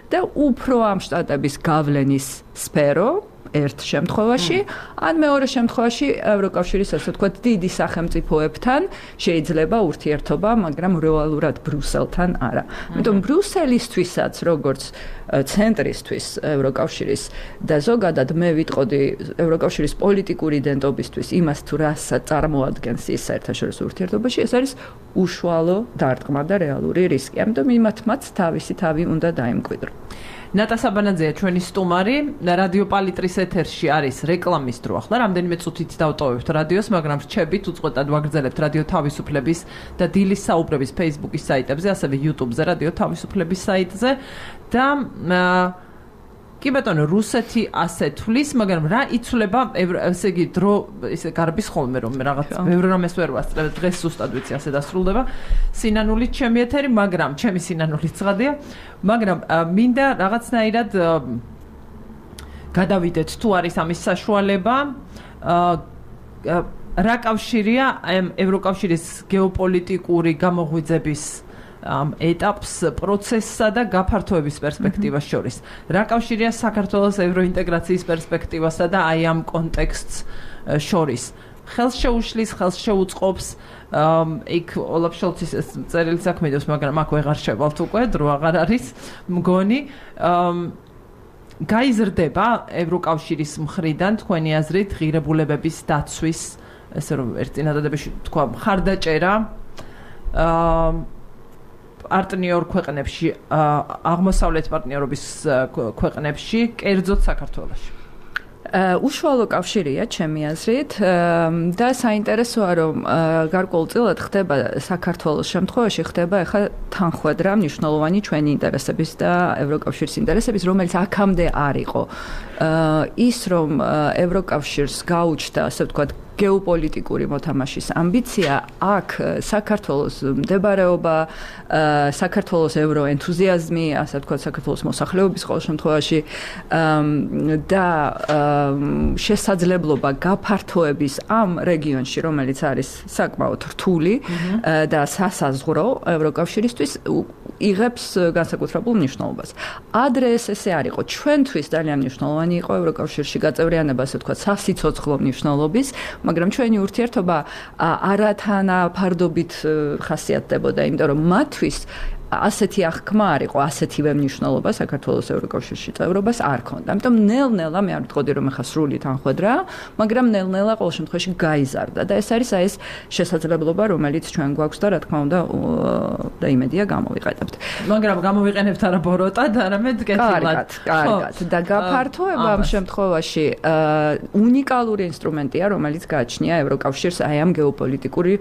და უფრო ამ შტატების გავლენის სფერო ერთ შემთხვევაში, ან მეორე შემთხვევაში ევროკავშირის ასე ვთქვათ დიდი სახელმწიფოებთან შეიძლება ურთიერთობა, მაგრამ რეალურად ბრუსელთან არა. ამიტომ ბრუსელისთვისაც, როგორც ცენტრისთვის ევროკავშირის და ზოგადად მე ვიტყოდი ევროკავშირის პოლიტიკური იდენტობისთვის იმას თუ რას წარმოადგენს ის საერთაშორისო ურთიერთობაში, ეს არის უშუალო დარტყმა და რეალური რისკი. ამიტომ იმათმაც თავისი თავი უნდა დაიმკვიდრო. ნატა საბანაძეა ჩვენი სტუმარი, რადიო პალიტრის ეთერში არის რეკლამის დრო. ახლა რამდენიმე წუთით დავტოვებთ რადიოს, მაგრამ რჩებით უწყვეტად ვაგრძელებთ რადიო თავისუფლების და დილის საუბრების Facebook-ის საიტებზე, ასევე YouTube-ზე, რადიო თავისუფლების საიტზე და კი ბატონო, რუსეთი ასე თვლის, მაგრამ რა იცვლება, ესე იგი, დრო ისე გარბის ხოლმე, რომ რაღაც ბევრი რამეს ვერ ვასწრებ, დღეს ზუსტად ვიცი ასე დასრულდება. სინანულით ჩემი ეთერი, მაგრამ ჩემი სინანულით ცხადია, მაგრამ მინდა რაღაცნაირად გადავიდეთ თუ არის ამის საშუალება. რა კავშირია ევროკავშირის გეოპოლიტიკური გამოღვიძების ეტაპს, პროცესსა და გაფართოების პერსპექტივას შორის. რა კავშირია საქართველოს ევროინტეგრაციის პერსპექტივასა და აი ამ კონტექსტს შორის. ხელს შეუშლის, ხელს შეუწყობს, იქ ოლაფ შოლცის წერილი საქმედავს, მაგრამ აქ ვეღარ შევალთ უკვე, დრო აღარ არის, მგონი. გაიზრდება ევროკავშირის მხრიდან თქვენი აზრით ღირებულებების დაცვის, ესე რომ ერთ წინადადებაში თქვა, მხარდაჭერა პარტნიორ ქვეყნებში, აღმოსავლეთ პარტნიორობის ქვეყნებში, კერძოდ საქართველოში. უშუალო კავშირია ჩემი აზრით და საინტერესოა რომ გარკვეულწილად ხდება საქართველოს შემთხვევაში ხდება ახლა თანხვედრა მნიშვნელოვანი ჩვენი ინტერესების და ევროკავშირის ინტერესების, რომელიც აქამდე არ იყო. ის რომ ევროკავშირს გაუჩნდა, ასე ვთქვათ, გეოპოლიტიკური მოთამაშის ამბიცია, აქ საქართველოს მდებარეობა, საქართველოს ევროენთუზიაზმი, ასე ვთქვათ, საქართველოს მოსახლეობის ყოველ შემთხვევაში და შესაძლებლობა გაფართოების ამ რეგიონში, რომელიც არის საკმაოდ რთული და სასაზღვრო ევროკავშირისთვის, იღებს განსაკუთრებულ მნიშვნელობას. ადრე ესე არ იყო. ჩვენთვის ძალიან მნიშვნელოვანი იყო ევროკავშირში გაწევრიანება, ასე ვთქვათ, სასიცოცხლო მნიშვნელობის, მაგრამ ჩვენი ურთიერთობა არათანაფარდობით ხასიათდებოდა, იმიტომ რომ მათთვის ასეთი აღქმა არ იყო, ასეთივე მნიშვნელობა საქართველოს ევროკავშირში წევრობას არ ქონდა. ამიტომ ნელ-ნელა მე არ ვიტყოდი რომ ახლა სრული თანხვედრა, მაგრამ ნელ-ნელა ყოველ შემთხვევაში გაიზარდა და ეს არის ეს შესაძლებლობა, რომელიც ჩვენ გვაქვს და რა თქმა უნდა და იმედია გამოვიყენებთ. მაგრამ გამოვიყენებთ არა ბოროტად, არამედ კეთილად. კარგად. და გაფართოება ამ შემთხვევაში უნიკალური ინსტრუმენტია, რომელიც გააჩნია ევროკავშირს აი ამ გეოპოლიტიკური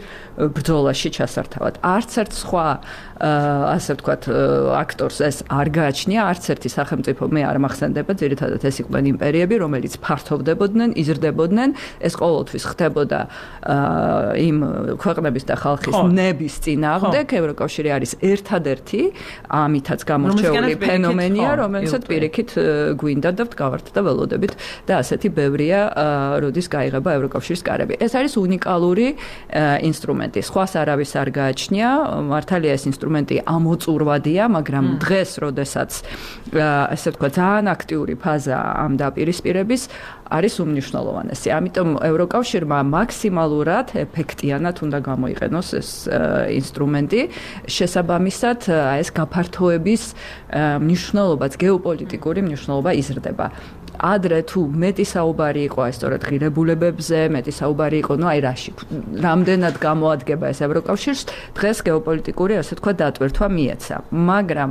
ბრძოლაში ჩასართავად. არც ერთ სხვა ასე ვთქვათ, აქტორს ეს არ გააჩნია, არც ერთი სახელმწიფო მე არ მახსენდება, ძირითადად ეს იყვნენ იმპერიები, რომელიც ფართოვდებოდნენ, იზრდებოდნენ, ეს ყოველთვის ხდებოდა იმ ქვეყნების და ხალხის ნების წინააღმდეგ. ევროკავშირი არის ერთადერთი ამითაც გამორჩეული ფენომენია, რომელსაც პირიქით გვინდა და ვდგავართ და ველოდებით და ასეთი ბევრია, როდის გაიღება ევროკავშირის კარები. ეს არის უნიკალური ინსტრუმენტი. სხვას არავის არ გააჩნია, მართალია ეს ინსტრუმენტი ამოწურვადია, მაგრამ დღეს, როდესაც ასე ვთქვათ, ძალიან აქტიური ფაზა ამ დაპირისპირების არის უმნიშვნელოვანესი. ამიტომ ევროკავშირმა მაქსიმალურად ეფექტიანად უნდა გამოიყენოს ეს ინსტრუმენტი. შესაბამისად, ეს გაფართოების მნიშვნელობაც, გეოპოლიტიკური მნიშვნელობა იზრდება. ადრე თუ მეტი საუბარი იყო აი სწორედ ღირებულებებზე, მეტი საუბარი იყო, ну აი რაში, რამდენად გამოადგება ეს ევროკავშირს, დღეს გეოპოლიტიკური, ასე ვთქვათ, დატვირთვა მიეცა. მაგრამ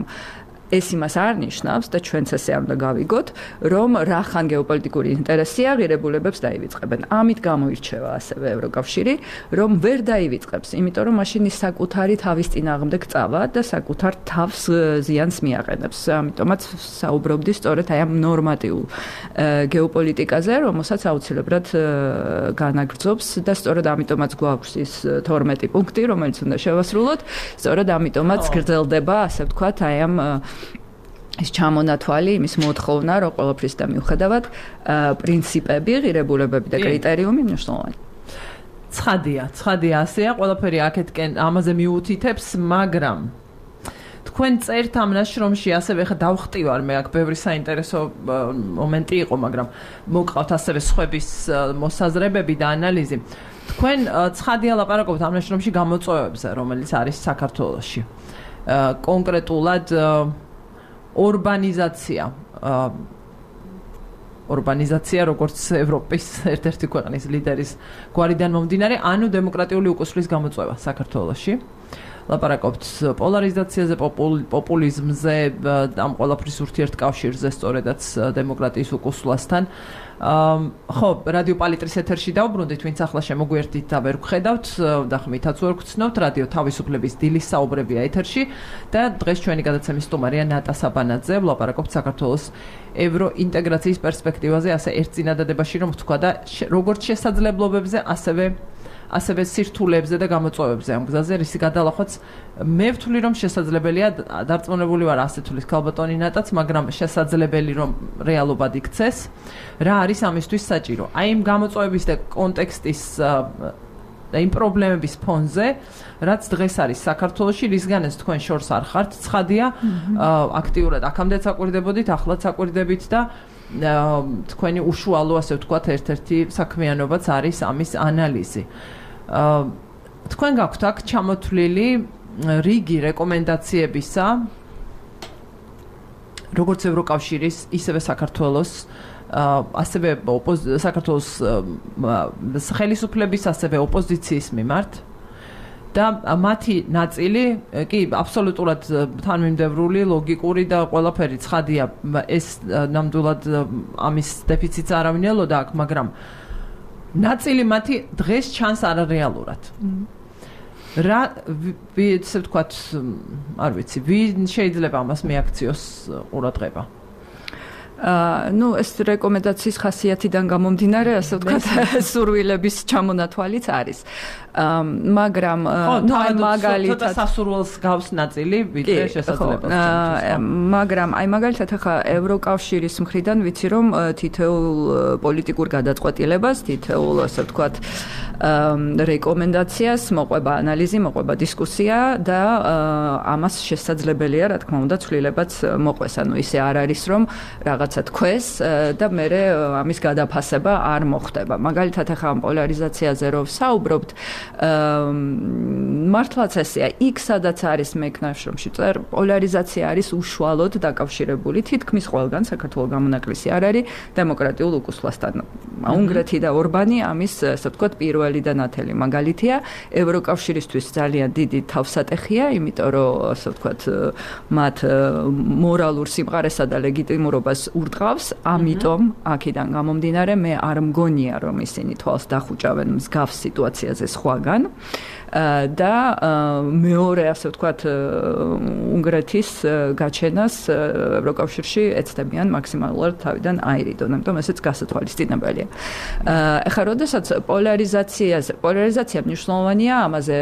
ეს იმას არ ნიშნავს და ჩვენც ესე არ უნდა გავიგოთ, რომ რახან გეოპოლიტიკური ინტერესია ღირებულებებს დაივიწყებენ. ამით გამოირჩევა ასევე ევროკავშირი, რომ ვერ დაივიწყებს, იმიტომ რომ მაშინ ის საკუთარი თავის წინააღმდეგ წავა და საკუთარ თავს ზიანს მიაყენებს. ამიტომაც საუბრობდი სწორედ აი ამ ნორმატიულ გეოპოლიტიკაზე, რომელსაც აუცილებლად განაგრძობს და სწორედ ამიტომაც გვაქვს ის 12 პუნქტი, რომელიც უნდა შევასრულოთ. სწორედ ამიტომაც გრძელდება, ასე ვთქვათ, აი ამ ის ჩამონათვალი, იმის მოთხოვნა, რომ ყველაფრის და მიუხედავად პრინციპები, ღირებულებები და კრიტერიუმი მნიშვნელოვანი. ცხადია, ასეა, ყველაფერი აქეთკენ ამაზე მიუთითებს, მაგრამ თქვენ წერთ ამ ნაშრომში, ასევე ხა დავხტივარ მე აქ ბევრი საინტერესო მომენტი იყო, მაგრამ მოგყავთ ასევე სხვების მოსაზრებები და ანალიზი. თქვენ ცხადია ლაპარაკობთ ამ ნაშრომში გამოწვევებზე, რომელიც არის საქართველოში. კონკრეტულად урбанизация, როგორც ევროპის ერთ-ერთი ქვეყნის ლიდერის გვარიდან მომდინარე, ანუ დემოკრატიული უკუსვლის გამოწვევა საქართველოში. ლაპარაკობთ პოლარიზაციაზე, პოპულიზმზე, ამ ყველაფრის ურთიერთკავშირზე, სწორედაც დემოკრატიის უკუსვლასთან. ხო, რადიო პალიტრის ეთერში დავბრუნდით, ვინც ახლა შემოგვიერთდით და ვერ გხედავთ და ხმითაც ვერ გცნობთ, რადიო თავისუფლების დილის საუბრებია ეთერში და დღეს ჩვენი გადაცემის სტუმარია ნატა საბანაძე, ვლაპარაკობთ საქართველოს ევროინტეგრაციის პერსპექტივაზე, ასე ერთ წინადადებაში რომ ვთქვა და როგორც შესაძლებლობებზე, ასევე სირთულეებზე და გამოწვევებზე ამ გზაზე, რისი გადალახვაც მე ვთვლი რომ შესაძლებელია, დარწმუნებული ვარ ასე თulis ქალბატონი ნატაც, მაგრამ შესაძლებელი რომ რეალობად იქცეს. რა არის ამისთვის საჭირო? აი იმ გამოწვევების და კონტექსტის და იმ პრობლემების ფონზე, რაც დღეს არის საქართველოში, რისგანაც თქვენ შორს არ ხართ, ცხადია, აქტიურად აქამდეც აკვირდებოდით, ახლაც აკვირდებით და თქვენი უშუალო, ასე ვთქვათ, ერთ-ერთი საქმიანობაც არის ამის ანალიზი. თქვენ გაქვთ აქ ჩამოთვლილი რიგი რეკომენდაციებისა, როგორც ევროკავშირის, ისევე საქართველოს, ასევე საქართველოს ხელისუფლების, ასევე ოპოზიციის მიმართ და მათი ნაწილი კი აბსოლუტურად თანმიმდევრული, ლოგიკური და ყველაფერი ცხადია, ეს ნამდვილად ამის დეფიციტს არავინ ელოდა აქ, მაგრამ ნაწილი მათი დღეს ჩანს არარეალურად. რა ესე ვთქვათ, არ ვიცი, ვინ შეიძლება ამას მიაქციოს ყურადღება? ну ეს რეკომენდაციის ხასიათიდან გამომდინარე, ასე ვთქვათ, სურვილების ჩამონათვალიც არის. მაგრამ ну აი მაგალითად სასურველს გავს ნაწილი, ვიდრე შესაძლებლობს. მაგრამ აი მაგალითად ახლა ევროკავშირის მხრიდან ვიცი რომ თითოეულ პოლიტიკურ გადაწყვეტილებას, თითოეულ ასე ვთქვათ რეკომენდაციას მოყვება ანალიზი, მოყვება დისკუსია და ამას შესაძლებელია, რა თქმა უნდა, ცვლილებაც მოყვეს. ანუ ისე არ არის რომ რაღაცა თქვეს და მერე ამის გადაფასება არ მოხდება. მაგალითად ახლა ამ პოლარიზაციაზე რომ საუბრობთ, მართლაც ესეა, იქ სადაც არის მეკნაშრომში წერ, პოლარიზაცია არის უშუალოდ დაკავშირებული თითქმის ყველგან, საქართველოს გამონაკლისი არ არის დემოკრატიულ უკუსვლასთან. უნგრეთი და ორბანი ამის, ასე ვთქვათ, პირველი და ნათელი მაგალითია. ევროკავშირისთვის ძალიან დიდი თავსატეხია, იმიტომ რომ, ასე ვთქვათ, მათ მორალურ სიმყარესა და ლეგიტიმურობას ურტყავს, ამიტომ აქედან გამომდინარე მე არ მგონია რომ ისინი თვალს დახუჭავენ მსგავს სიტუაციაზე სხვაგან და მეორე, ასე ვთქვათ, უნგრეთის გაჩენას ევროკავშირში ეცდებიან მაქსიმალურად თავიდან აირიდონ, ამიტომ ესეც გასათვალისწინებელია. ეხლა როდესაც პოლარიზაცია მნიშვნელოვანია, ამაზე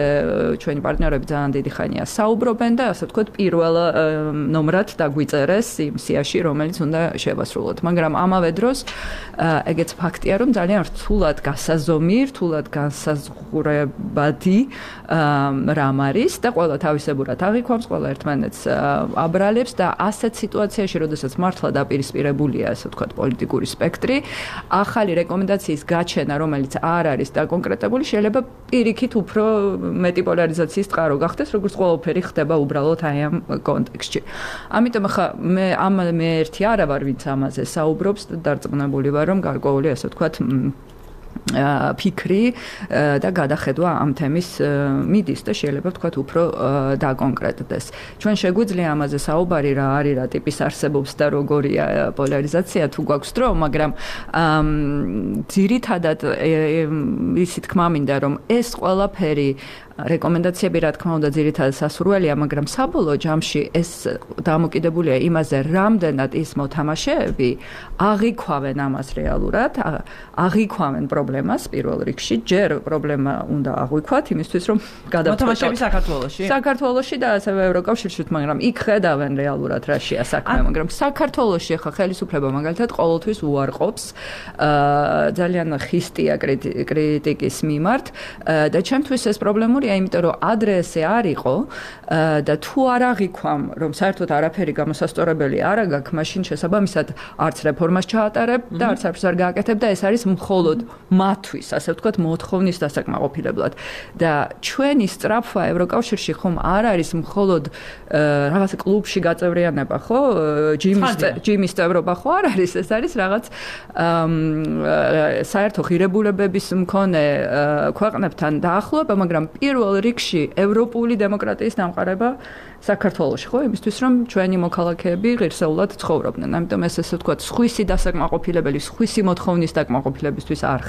ჩვენი პარტნიორები ძალიან დიდი ხანია საუბრობენ და ასე ვთქვათ, პირველ ნომრად დაგვიწერეს იმ სიაში, რომელიც უნდა შევასრულოთ. მაგრამ ამავე დროს ეგეც ფაქტია, რომ ძალიან რთულად გასაზომი, რთულად განსაზღვრებადი რამ არის და ყველა თავისებურად აღიქვამს, ყველა ერთმანეთს აბრალებს და ასეთ სიტუაციაში, როდესაც მართლა დაპირისპირებულია, ასე ვთქვათ, პოლიტიკური სპექტრი, ახალი რეკომენდაციის გაჩენა, რომელიც არ არის დაკონკრეტებული, შეიძლება პირიქით უფრო მეტი პოლარიზაციის წყარო გახდეს, როგორც ყველაფერი ხდება უბრალოდ აი ამ კონტექსტში. ამიტომ ახლა მე ერთი არა ვარ, ვინც ამაზე საუბრობს და დარწმუნებული ვარ, რომ გარკვეული, ასე ვთქვათ, ფიქრი და გადახედვა ამ თემის მიდის და შეიძლება ვთქვათ უფრო დაკონკრეტდეს. ჩვენ შეგვიძლია ამაზე საუბარი რა არის, რა ტიპის არსებობს და როგორია პოლარიზაცია თუ გვაქვს დრო, მაგრამ ძირითადად ისი თქმა მინდა რომ ეს ყველაფერი რეკომენდაციები რა თქმა უნდა ძირითადად სასურველია, მაგრამ საბოლოო ჯამში ეს დამოკიდებულია იმაზე, რამდენად ის მოთამაშეები აღიქვამენ ამას რეალურად, აღიქვამენ პრობლემას პირველ რიგში, ჯერ პრობლემა უნდა აღვიქვათ იმისთვის, რომ მოთამაშეები საქართველოში და ასევე ევროკავშირში, მაგრამ იქ ხედავენ რეალურად რაშია საქმე, მაგრამ საქართველოში ახლა ხელისუფლება მაგალითად ყოველთვის უარყოფს, ძალიან ხისტია კრიტიკის მიმართ და ჩემთვის ეს პრობლემურია, იმიტომ რომ ადრე ესე არ იყო და თუ არ აღიქვამ, რომ საერთოდ არაფერი გამოსასწორებელი არ აქვს, მაშინ შესაბამისად არც რეფორმას ჩაატარებ და არც არაფერს არ გააკეთებ და ეს არის მხოლოდ მათთვის, ასე ვთქვათ, მოთხოვნის დასაკმაყოფილებლად. და ჩვენი სწრაფვა ევროკავშირში ხომ არ არის მხოლოდ რაღაც კლუბში გაწევრიანება, ხო? ჯიმის წევრობა ხო არ არის, ეს არის რაღაც საერთო ღირებულებების მქონე ქვეყნებთან დაახლოება, მაგრამ პირველ რიგში ევროპული დემოკრატიის დამყარება საქართველოში, ხო? იმისთვის რომ ჩვენი მოქალაქეები ღირსეულად ცხოვრობდნენ. ამიტომ ეს ესე ვთქვათ, სხვისი დასაკმაყოფილებელი, სხვისი მოთხოვნის დაკმაყოფილებისთვის არ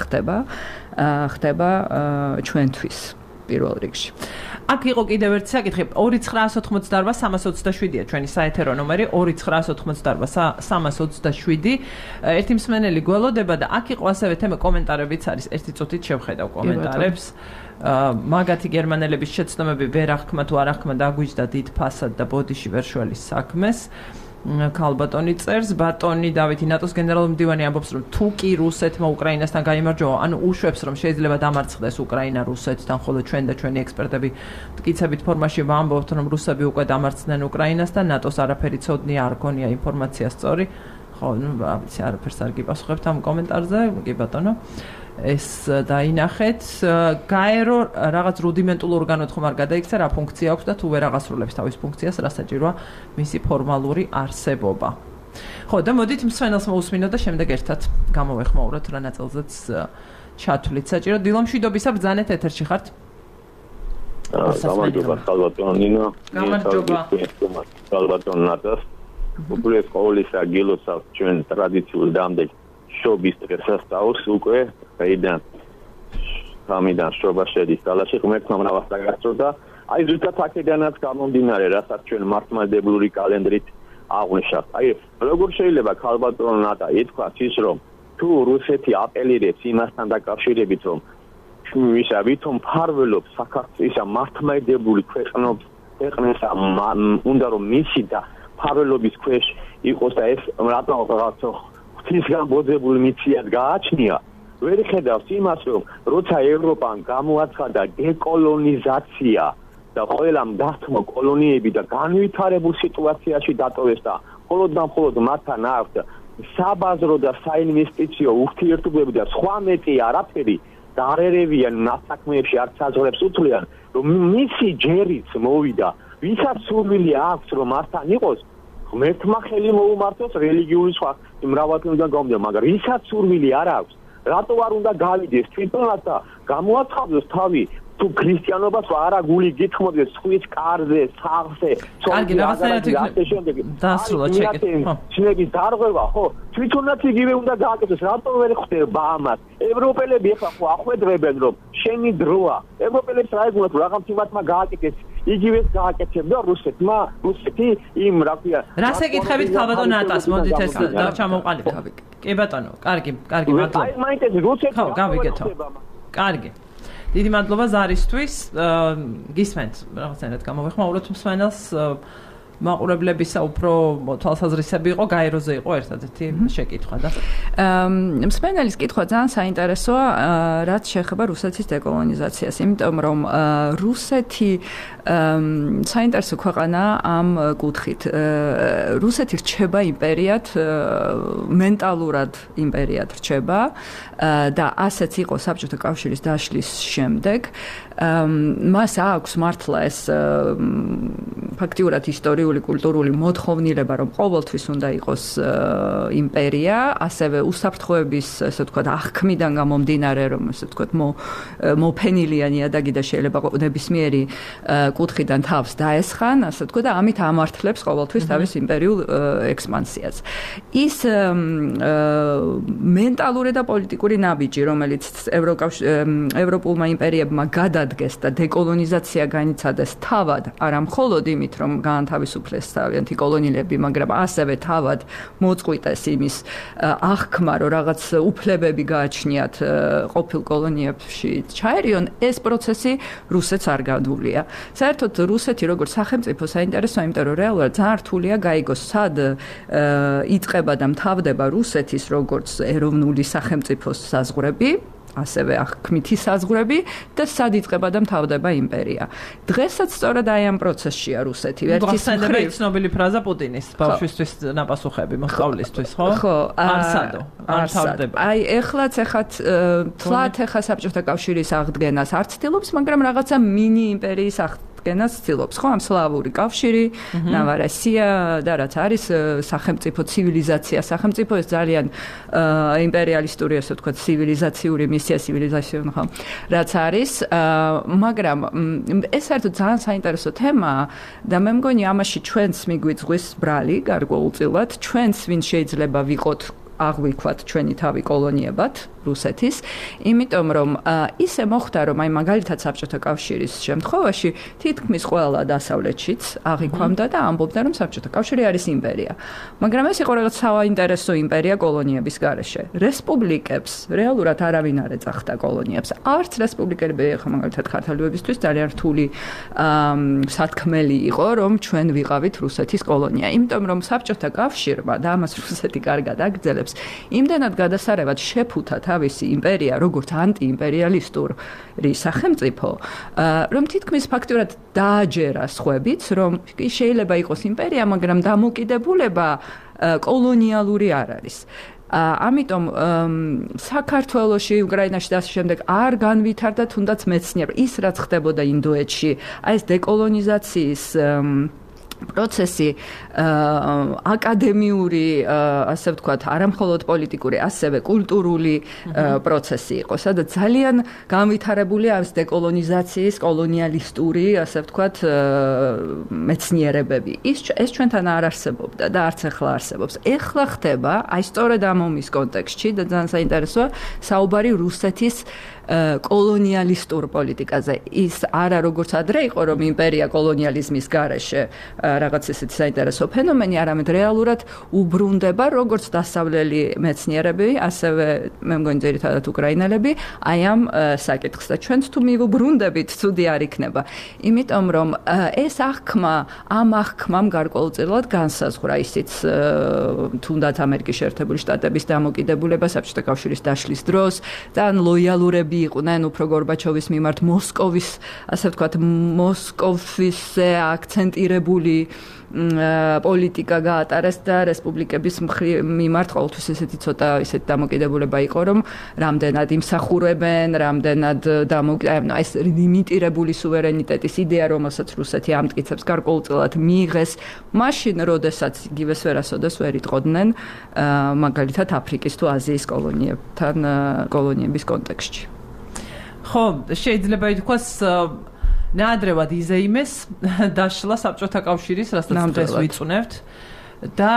ხდება ჩვენთვის პირველ რიგში. აქ იყო კიდევ ერთი საკითხი 2988-327-ია ჩვენი საეთერო ნომერი 2988-327 ერთი მსმენელი გველოდება და აქ იყო ასევე თემა კომენტარებიც არის ერთი წუთით შევხედავ კომენტარებს მაგათი გერმანელების შეცდომები ვერ აღქმა თუ არ აღქმა დაგვიჯდა დიდ ფასად და ბოდიში ვერ შველის საქმეს ქალბატონი წერს ბატონი დავითი ნატოს გენერალური მდივანი ამბობს რომ თუ კი რუსეთმა უკრაინასთან გაიმარჯვა ანუ უშვებს რომ შეიძლება დამარცხდეს უკრაინა რუსეთთან ხოლო ჩვენ და ჩვენი ექსპერტები მტკიცებით ფორმაში ვამბობთ რომ რუსები უკვე დამარცხდნენ უკრაინასთან ნატოს არაფერი ცოდნი არ გონია ინფორმაცია სწორი ხო ნუ ვიცი არაფერს არ გიპასუხებთ ამ კომენტარზე კი ბატონო ეს დაინახეთ გაერო რაღაც რუდიმენტულ ორგანოდ ხომ არ გადაიქცა რა ფუნქცია აქვს და თუ ვერ აღასრულებს თავის ფუნქციას რა საჭიროა მისი ფორმალური არსებობა ხო და მოდით მსვენელს მოусმინოთ და შემდეგ ერთად გამოვეხმაუროთ რა ნაწილზეც ჩათვლით საჭირო დილომშვიდობისა ბრძანეთ ეთერში ხართ გამარჯობა ხალბატონ ნინო გამარჯობა ხალბატონ ნატას უბრალოდ ყოველისა გილოცავთ ჩვენ ტრადიციულ დამდეგ შობის დღესასწაულს უკვე აიდან სამიდან შობა შედის ძალაში ღმერთმა მრავალს დაგასწორდა აი ზუსტად აქედანაც გამომდინარე რასაც ჩვენ მართლმადიდებლური კალენდრით აღვნიშნავთ აი როგორ შეიძლება ხალბატონ ნატა ითქვას ის რომ თუ რუსეთი აპელირებს იმასთან დაკავშირებით რომ ისა ვითომ ფარველობს საქართველოს ისა მართლმადიდებლური ქვეყნებს უნდა რომ მისი და ფარველობის ქვეშ იყოს და ეს რატო რაღაცა ღვთისგან ბოძებული მიციად გააჩნია ვერ ხედავს იმას რომ როცა ევროპამ გამოაცხადა დეკოლონიზაცია და ყველამ დათმო კოლონიები და განვითარებულ სიტუაციაში დატოვეს და მხოლოდ მათთან აქვს საბაზრო და საინვესტიციო ურთიერთობები და სხვა მეტი არაფერი დარერევიან ნასაქმეებში არც საზღვრებს უთვლიან რომ მისი ჯერიც მოვიდა ვისაც სურვილი აქვს რომ მათთან იყოს ღმერთმა ხელი მოუმართოს რელიგიური სხვა მრავალფეროვანიდან გამომდინარე მაგრამ ვისაც სურვილი არ აქვს რატო არ უნდა გავიდეს თვითონაც და გამოაცხადოს თავი თუ ქრისტიანობას არა გული გითხოვდეს სხვის კარზე სახლზე კარგი რაღაცნაირად დასრულა ჩეკეთ შენების დარღვევა ხო თვითონაც იგივე უნდა გააკეთოს რატო ვერ ხდება ამას ევროპელები ახლა ხო ახვედრებენ რომ შენი დროა ევროპელებს რა ეგულა თუ რაღაც თემათმა გააკეთეს იგივეს გააკეთებდა რუსეთი იმ რა ქვია რას ეკითხებით ხალბატონ ნატას მოდით ეს ჩამოვყალიბოთ კი ბატონო კარგი მადლობა აი მაინტერესებს რუსეთი ხო გავიგეთო კარგი დიდი მადლობა ზარისთვის გისმენთ რაღაცნაირად გამოვეხმაუროთ მსმენელს მაყურებლებისა უფრო თვალსაზრისები იყო გაეროზე იყო ერთადერთი შეკითხვა და მსმენელის კითხვა ძალიან საინტერესოა რაც შეეხება რუსეთის დეკოლონიზაციას იმიტომ რომ რუსეთი საინტერესო ქვეყანაა ამ კუთხით რუსეთი რჩება იმპერიად მენტალურად იმპერიად რჩება და ასეც იყო საბჭოთა კავშირის დაშლის შემდეგ მას აქვს მართლა ეს ფაქტიურად ისტორიული კულტურული მოთხოვნილება რომ ყოველთვის უნდა იყოს იმპერია ასევე უსაფრთხოების ესე ვთქვათ აღქმიდან გამომდინარე რომ ესე ვთქვათ მოფენილია ნიადაგი და შეიძლება ნებისმიერი კუთხიდან თავს დაესხან ასე ვთქვათ და ამით ამართლებს ყოველთვის თავის იმპერიულ ექსპანსიას ის მენტალური და პოლიტიკური ნაბიჯი რომელიც ევროპულმა იმპერიებმა გადადგეს და დეკოლონიზაცია განიცადეს თავად არა მხოლოდ იმით რომ გაანთავისუფლეს თავიანთი კოლონიელები მაგრამ ასევე თავად მოწყვიტეს იმის აღქმა რომ რაღაც უფლებები გააჩნიათ ყოფილ კოლონიებში ჩაერიონ ეს პროცესი რუსეთს არ გადულია საერთოდ რუსეთი როგორც სახელმწიფო საინტერესოა იმიტომ რომ რეალურად ძალიან რთულია გაიგოს სად იწყება და მთავრდება რუსეთის როგორც ეროვნული სახელმწიფოს საზღვრები ასევე აღქმითი საზღვრები და სად იწყება და მთავრდება იმპერია. დღესაც სწორად აი ამ პროცესშია რუსეთი. ერთის მხრივ ცნობილი ფრაზა პუტინის ბავშვისთვის ნაპასუხები მოსწავლისთვის, ხო? ხო, არსადო, არ მთავრდება. აი ეხლაც თლათ ეხა საბჭოთა კავშირის აღდგენას არ ცდილობს, მაგრამ რაღაცა მინი იმპერიის აღდგენას ცდილობს, ხო, ამ სლავური კავშირი, ნავარესია და რაც არის სახელმწიფო ცივილიზაცია, სახელმწიფო ეს ძალიან იმპერიალისტური, ასე ვთქვათ, ცივილიზაციური მისია, ცივილიზაციური, ხო, რაც არის, მაგრამ ეს საერთოდ ძალიან საინტერესო თემაა და მე მგონი ამაში ჩვენს მიგვიწვის ბრალი გარკვეულწილად, ჩვენს ვინ შეიძლება ვიყოთ აღვიქვათ ჩვენი თავი კოლონიებად რუსეთის, იმიტომ რომ ისე მოხდა, რომ აი მაგალითად საბჭოთა კავშირის შემთხვევაში თითქმის ყველა დასავლეთშიც აღიქვამდა და ამბობდა, რომ საბჭოთა კავშირი არის იმპერია. მაგრამ ეს იყო რაღაც საინტერესო იმპერია კოლონიების გარეშე. რესპუბლიკებს რეალურად არავინ არ ეძახდა კოლონიებს. არც რესპუბლიკები ხო მაგალითად ქართველებისთვის ძალიან რთული სათქმელი იყო, რომ ჩვენ ვიყავით რუსეთის კოლონია. იმიტომ რომ საბჭოთა კავშირმა და ამას რუსეთი კარგად აგრძელებს, იმდენად გადასარევად შეფუთა თავისი იმპერია, როგორც ანტიიმპერიალისტური სახელმწიფო, რომ თითქმის ფაქტურად დააჯერა სხვებიც, რომ შეიძლება იყოს იმპერია, მაგრამ დამოკიდებულება კოლონიალური არ არის. ამიტომ საქართველოში, უკრაინაში და ასე შემდეგ არ განვითარდა თუნდაც მეცნიერება. ის რაც ხდებოდა ინდოეთში, აი ეს დეკოლონიზაციის პროცესი აკადემიური, ასე ვთქვათ, არამხოლოდ პოლიტიკური, ასევე კულტურული პროცესი იყო, სადაც ძალიან განვითარებული არის დეკოლონიზაციის, კოლონიალისტური, ასე ვთქვათ, მეცნიერებები. ეს ჩვენთან არ არსებობდა და არც ახლა არსებობს. ეხლა ხდება, აი სწორედ ამ ომის კონტექსტში და ძალიან საინტერესოა, საუბარი რუსეთის კოლონიალისტურ პოლიტიკაზე. ის არა როგორც ადრე იყო, რომ იმპერია კოლონიალიზმის გარეშე რაღაც ესეთი საინტერესო ფენომენი, არამედ რეალურად უბრუნდება როგორც დასავლელი მეცნიერები, ასევე მე მგონი ძირითადად უკრაინელები, აი ამ საკითხს და ჩვენც თუ მივუბრუნდებით, ცუდი არ იქნება. იმიტომ რომ ეს ამ აღქმამ გარკვეულწილად განსაზღვრა ისიც თუნდაც ამერიკის შეერთებული შტატების დამოკიდებულება საბჭოთა კავშირის დაშლის დროს და ლოიალურები იყვნენ უფრო გორბაჩოვის მიმართ მოსკოვის, ასე ვთქვათ, მოსკოვისზე აქცენტირებული პოლიტიკა გაატარეს და რესპუბლიკების მიმართ ყოველთვის ესეთი ცოტა ისეთი დამოკიდებულება იყო, რომ რამდენად იმსახურებენ, რამდენად ეს ლიმიტირებული სუვერენიტეტის იდეა, რომელსაც რუსეთი ამტკიცებს, გარკვეულწილად მიიღეს მაშინ, როდესაც იგივეს ვერასოდეს ვერ იტყოდნენ მაგალითად აფრიკის თუ აზიის კოლონიების კონტექსტში. ხო, შეიძლება ითქვას ნაადრევად იზეიმეს დაშლა საბჭოთა კავშირის, რასაც დღეს ვიწუნებთ და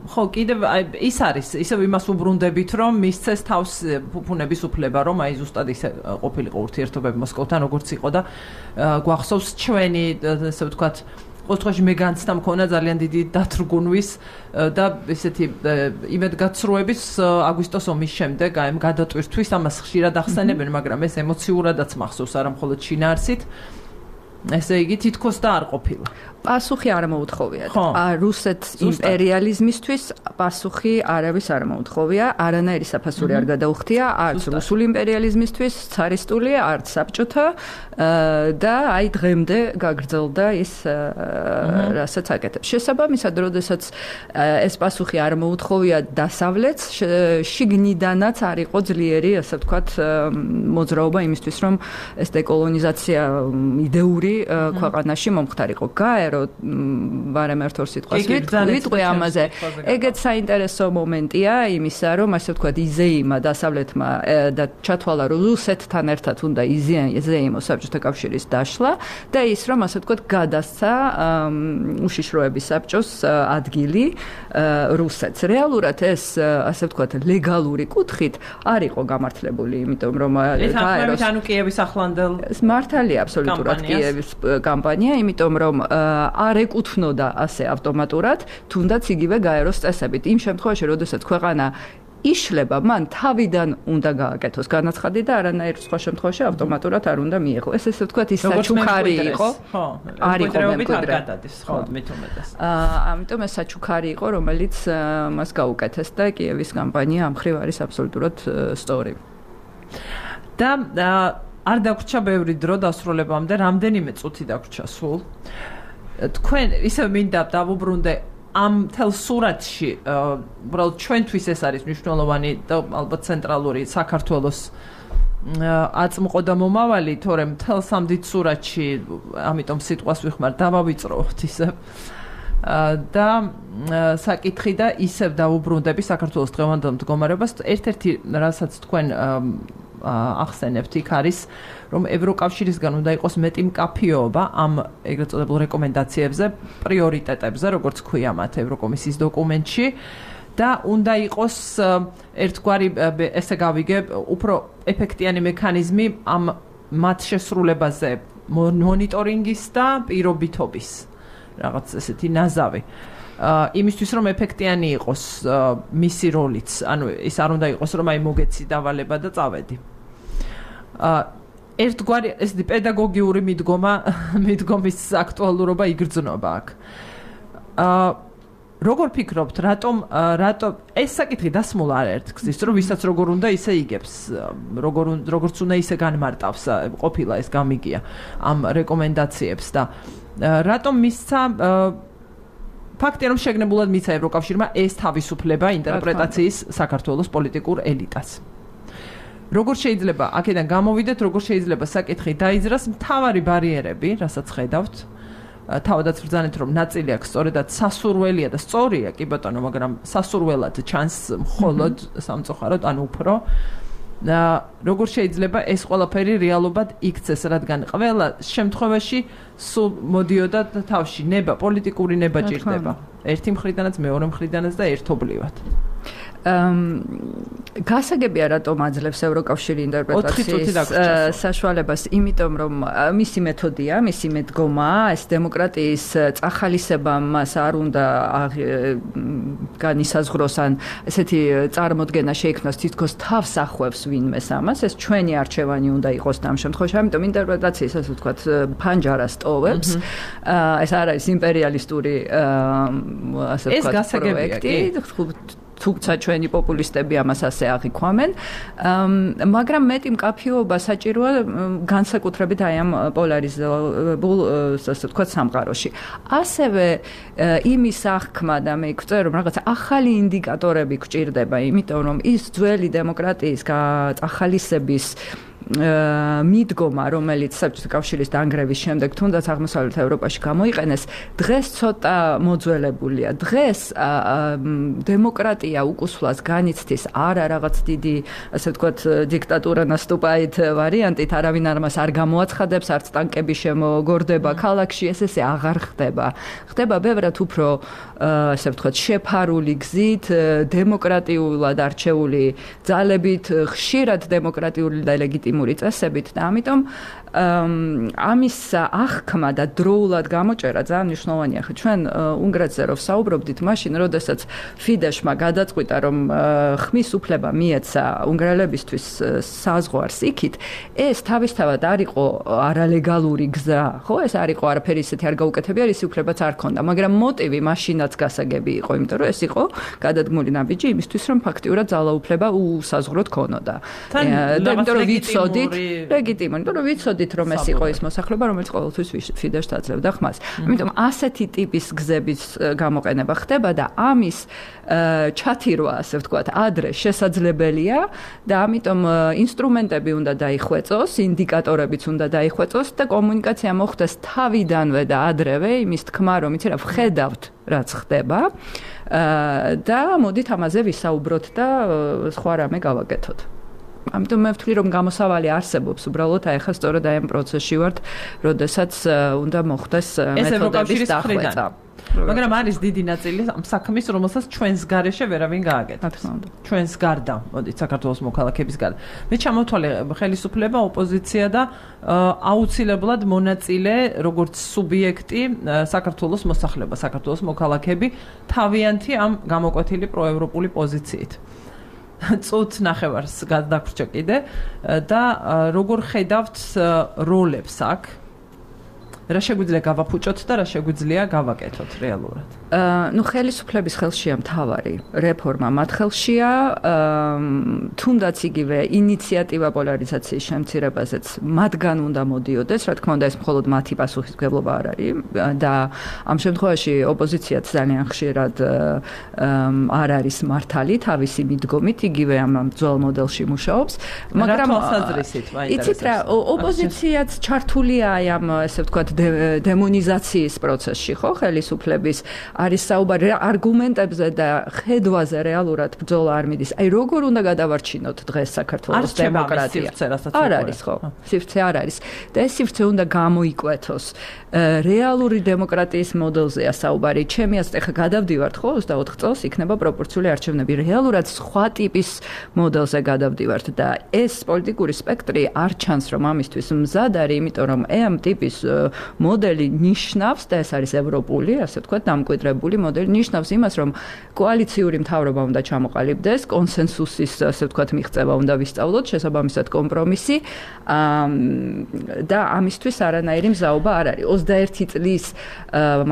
ხო, კიდევ ის არის, ისევ იმას უბრუნდებით, რომ მისცეს თავს ფუფუნების უფლება, რომ აი ზუსტად ისე ყოფილიყო ურთიერთობები მოსკოვთან, როგორც იყო და გვახსოვს ჩვენი, ასე ვთქვათ, ყოველთვის მე განცდა მქონა ძალიან დიდი დათრგუნვის და ესეთი იმედგაცრუების აგვისტოს ომის შემდეგ აი გადატვირთვის ამას ხშირად ახსენებენ, მაგრამ ეს ემოციურადაც მახსოვს არა მხოლოდ შინაარსით. ესე იგი თითქოს და არ ყოფილა. პასუხი არ მოუთხოვია. რუსეთ იმპერიალიზმისთვის პასუხი არავის არ მოუთხოვია, არანაირი საფასური არ გადაუხდია, არც რუსული იმპერიალიზმისთვის, цаრისტული, არც საბჭოთა და აი დღემდე გაგრძელდა ის რასაც აკეთებს. შესაბამისად, როდესაც ეს პასუხი არ მოუთხოვია დასავლეთს, შიგნიდანაც არ იყო ძლიერი, ასე ვთქვათ, მოძრაობა იმისთვის, რომ ეს დეკოლონიზაცია იდეური ქვეყანაში მომხდარიყო. ვარემ ერთ-ორ სიტყვას ვიტყვი ამაზე. ეგეც საინტერესო მომენტია იმისა, რომ ასე ვთქვათ, იზეიმა დასავლეთმა და ჩათვალა რუსეთთან ერთად უნდა იზეიმოს საბჭოთა კავშირის დაშლა და ის რომ ასე ვთქვათ, გადასცა უშიშროების საბჭოს ადგილი რუსეთს. რეალურად ეს ასე ვთქვათ, ლეგალური კუთხით არ იყო გამართლებული, იმიტომ რომ გაეროს ანუ კიევის ახლანდელ მართალია აბსოლუტურად კიევის კამპანია, იმიტომ რომ არ ეკუთვნოდა ასე ავტომატურად, თუნდაც იგივე გაეროს წესებით. იმ შემთხვევაში, როდესაც ქვეყანა იშლება, მან თავიდან უნდა გააკეთოს განაცხადი და არანაირ სხვა შემთხვევაში ავტომატურად არ უნდა მიიღო. ეს ესე ვთქვათ, ის საჩუქარი იყო. ხო, არ იყო მემკვიდრე. ხო, მithumetas. ამიტომ ეს საჩუქარი იყო, რომელიც მას გაუკეთეს და კიევის კამპანია ამ ხრივ არის აბსოლუტურად სწორი. და არ დაგვრჩა ბევრი დრო დასრულებამდე, რამდენიმე წუთი დაგვრჩა სულ. თქვენ ისევ მინდა დავუბრუნდე ამ თელ სურათში, უბრალოდ ჩვენთვის ეს არის მნიშვნელოვანი და ალბათ ცენტრალური საქართველოს აწმყო და მომავალი, თორემ მთელ სამდით სურათში, ამიტომ სიტყვას ვიხმარ, დავავიწროთ ისე. და საკითხი და ისევ დაუბრუნდები საქართველოს დღევანდელ მდგომარეობას. ერთ-ერთი, რასაც თქვენ ახსენებთ, იქ არის, რომ ევროკავშირისგან უნდა იყოს მეტი მკაფიობა ამ ეგრეთ წოდებულ რეკომენდაციებზე, პრიორიტეტებზე, როგორც ქვია მათ ევროკომისიის დოკუმენტში. და უნდა იყოს ერთგვარი ესე გავიგე უფრო ეფექტიანი მექანიზმი ამ მათ შესრულებაზე მონიტორინგის და პირობითობის რაღაც ესეთი ნაზავი იმისთვის რომ ეფექტიანი იყოს მისი როლიც ანუ ის არ უნდა იყოს რომ აი მოგეცი დავალება და წავედი ერთგვარი ესეთი პედაგოგიური მიდგომის აქტუალურობა იგრძნობა აქ როგორ ფიქრობთ, რატომ ეს საკითხი დასმულ არ ერთგზის, რომ ვისაც როგორ უნდა ისე იგებს, როგორც უნდა ისე განმარტავს, ყოფილა ეს გამიგია ამ რეკომენდაციებს და რატომ მისცა ფაქტია რომ შეგნებულად მიცა ევროკავშირმა ეს თავისუფლება ინტერპრეტაციის საქართველოს პოლიტიკურ ელიტას. როგორ შეიძლება აქედან გამოვიდეთ, როგორ შეიძლება საკითხი დაიძრას მთავარი ბარიერები, რასაც ხედავთ თავადაც ვბრძანეთ რომ ნაწილი აქ სწორედაც სასურველია და სწორია კი ბატონო მაგრამ სასურველად ჩანს მხოლოდ სამწუხაროდ ან უფრო და როგორ შეიძლება ეს ყველაფერი რეალობად იქცეს რადგან ყველა შემთხვევაში სულ მოდიოდა თავში ნება პოლიტიკური ნება ჭირდება ერთი მხრიდანაც მეორე მხრიდანაც და ერთობლივად გასაგებია რატომ აძლევს ევროკავშირი ინტერპრეტაციის საშუალებას იმიტომ რომ მისი მეთოდია მისი მედგომაა ეს დემოკრატიის წახალისება მას არ უნდა განისაზღვროს ან ესეთი წარმოდგენა შეიქმნას თითქოს თავს ახვევს ვინმეს ამას ეს ჩვენი არჩევანი უნდა იყოს ამ შემთხვევაში ამიტომ ინტერპრეტაციის ასე ვთქვათ ფანჯარას ტოვებს ეს არ არის იმპერიალისტური ასე ვთქვათ პროექტი თუმცა ჩვენი პოპულისტები ამას ასე აღიქვამენ, მაგრამ მეტი მკაფიობა საჭიროა განსაკუთრებით აი ამ პოლარიზებულ, ასე ვთქვათ, სამყაროში. ასევე იმის აღქმა და მე ვწერე რომ რაღაც ახალი ინდიკატორები გვჭირდება, იმიტომ რომ ის ძველი დემოკრატიის წახალისების მიდგომა, რომელიც საბჭოთა კავშირის დანგრევის შემდეგ თუნდაც აღმოსავლეთ ევროპაში გამოიყენეს, დღეს ცოტა მოძველებულია. დღეს დემოკრატია უკუსვლას განიცდის არა რაღაც დიდი, ასე ვთქვათ, დიქტატურა наступает ვარიანტით, არავინ ამას არ გამოაცხადებს, არც ტანკები შემოგორდება ქალაქში, ესე აღარ ხდება. ხდება ბევრად უფრო, ასე ვთქვათ, შეფარული გზით, დემოკრატიულად არჩეული ძალებით, ხშირად დემოკრატიული და ლეგიტიმური წესებით და ამიტომ ამის აღქმა და დროულად გამოჭერა ძალიან მნიშვნელოვანია. ხო ჩვენ უნგრეთზე რო საუბრობდით, მაშინ როდესაც ფიდეშმა გადაწყვიტა რომ ხმის უფლება მიეცა უნგრელებისთვის საზღვარს იქით, ეს თავისთავად არ იყო არალეგალური გზა, ხო? ეს არ იყო არაფერი ისეთი არ გაუკეთებია, ის უფლებაც არ ქონდა, მაგრამ მოტივი მაშინაც გასაგები იყო, იმიტომ რომ ეს იყო გადადგმული ნაბიჯი იმისთვის, რომ ფაქტიურად ძალაუფლება უსაზღვროდ ქონოდა. და იმიტომ რომ ვიცოდით, ლეგიტიმური, იმიტომ რომ ვიცოდით რომ ეს იყო ის მოსახლეობა, რომელიც ყოველთვის ფიდეშს აძლევდა ხმას. ამიტომ ასეთი ტიპის გზების გამოყენება ხდება და ამის ჩათირვა, ასე ვთქვათ, ადრე შესაძლებელია და ამიტომ ინსტრუმენტები უნდა დაიხვეწოს, ინდიკატორებიც უნდა დაიხვეწოს და კომუნიკაცია მოხდეს თავიდანვე და ადრევე იმის თქმა, რომ იცი რა ვხედავთ რაც ხდება და მოდით ამაზე ვისაუბროთ და სხვა რამე გავაკეთოთ. ამიტომ მე ვთვლი რომ გამოსავალი არსებობს უბრალოდ აი ხა სწორედ აი ამ პროცესში ვართ, როდესაც უნდა მოხდეს მეთოდების დახვეწა. მაგრამ არის დიდი ნაწილი ამ საქმის, რომელსაც ჩვენს გარეშე ვერავინ გააკეთებს. ჩვენს გარდა, მოდით საქართველოს მოქალაქეების გარდა. მე ჩამოთვალე ხელისუფლება, ოპოზიცია და აუცილებლად მონაწილე, როგორც სუბიექტი, საქართველოს მოსახლეობა, საქართველოს მოქალაქეები, თავიანთი ამ გამოკვეთილი პროევროპული პოზიციით. წუთ ნახევარს გადაგვრჩა კიდე და როგორ ხედავთ როლებს აქ რა შეგვიძლია გავაფუჭოთ და რა შეგვიძლია გავაკეთოთ რეალურად? ნუ ხელისუფლების ხელშია მთავარი რეფორმა მათ ხელშია, თუნდაც იგივე ინიციატივა პოლარიზაციის შემცირებაზეც მათგან უნდა მოდიოდეს, რა თქმა უნდა ეს მხოლოდ მათი პასუხისმგებლობა არ არის და ამ შემთხვევაში ოპოზიციაც ძალიან ხშირად არ არის მართალი თავისი მიდგომით, იგივე ამ ძველ მოდელში მუშაობს, მაგრამ იცით რა, ოპოზიციაც ჩართულია ამ ესე ვთქვათ დემონიზაციის პროცესში, ხო, ხელისუფლების არის საუბარი არგუმენტებზე და ხედვაზე რეალურად ბრძოლა არ მიდის. აი როგორ უნდა გადავარჩინოთ დღეს საქართველოს დემოკრატია? არ არის ხო? სივრცე არ არის. და ეს სივრცე უნდა გამოიკვეთოს. რეალური დემოკრატიის მოდელზეა საუბარი. ჩემი აზრით ახლა გადავდივართ ხო 24 წელს იქნება პროპორციული არჩევნები. რეალურად სხვა ტიპის მოდელზე გადავდივართ და ეს პოლიტიკური სპექტრი არ ჩანს რომ ამისთვის მზად არის, იმიტომ რომ ამ ტიპის მოდელი ნიშნავს და ეს არის ევროპული, ასე ვთქვათ, დამკვიდრებული მოდელი ნიშნავს იმას, რომ კოალიციური მთავრობა უნდა ჩამოყალიბდეს, კონსენსუსის, ასე ვთქვათ, მიღწევა უნდა ვისწავლოთ, შესაბამისად კომპრომისი და ამისთვის არანაირი მზაობა არ არის. 21 წლის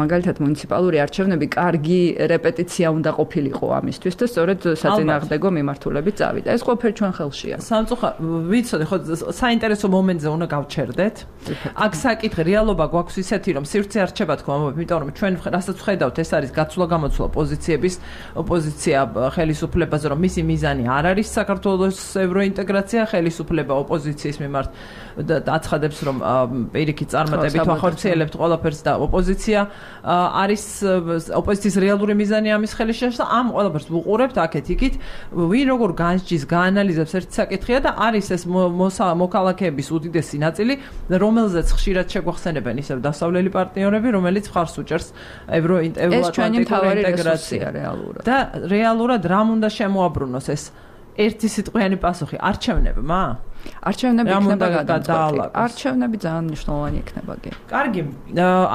მაგალითად მუნიციპალური არჩევნები კარგი რეპეტიცია უნდა ყოფილიყო ამისთვის და სწორედ საწინააღმდეგო მიმართულებით წავიდა. ეს ყველაფერი ჩვენ ხელშია. სამწუხაროდ ვიცოდი ხო საინტერესო მომენტზე უნდა გავჩერდეთ. აქ საკითხი რეალობა გვაქვს ისეთი რომ სივრცე არჩება თქო ამბობ, იმიტომ რომ ჩვენ რასაც ვხედავთ ეს არის გაცვლა-გამოცვლა პოზიციების ოპოზიცია ხელისუფლებაზე რომ მისი მიზანი არ არის საქართველოს ევროინტეგრაცია, ხელისუფლება ოპოზიციის მიმართ აცხადებს რომ პირიქით წარმატებით ვახორციელებთ ყველაფერს და ოპოზიცია არის ოპოზიციის რეალური მიზანი ამის ხელში და ამ ყველაფერს ვუყურებთ აქეთ იქით ვინ როგორ განსჯის გაანალიზებს ერთ საკითხია და არის ეს მოქალაქეების უდიდესი ნაწილი რომელზეც ხშირად შეგვახსენებენ ისევ დასავლელი პარტნიორები რომელიც მხარს უჭერს ევროატლანტიკური ინტეგრაცია რეალურად და რეალურად რამ უნდა შემოაბრუნოს ეს ერთი სიტყვიანი პასუხი არჩევნებმა არჩევნები იქნება გადაწყვეტილი. არჩევნები ძალიან მნიშვნელოვანი იქნება კი. კარგი,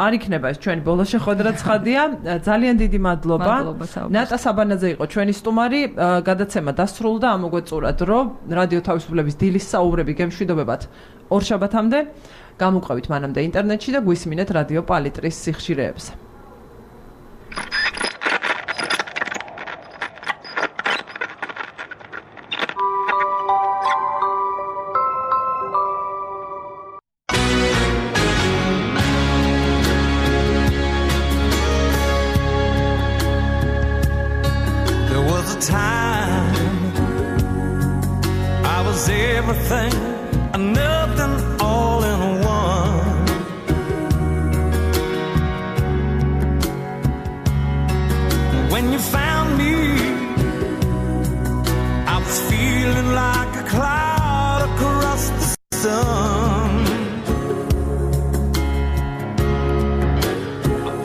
არ იქნება ეს ჩვენი ბოლო შეხვედრა ცხადია. ძალიან დიდი მადლობა. ნატა საბანაძე იყო ჩვენი სტუმარი. გადაცემა დასრულდა, ამოგვეწურათ, რომ რადიო თავისუფლების დილის საუბრები გემშვიდობებათ ორშაბათამდე. გამოყვებით მანამდე ინტერნეტში და გვისმინეთ რადიო პალიტრის სიხშირეებზე. Everything and nothing all in one. When you found me, I was feeling like a cloud across the sun.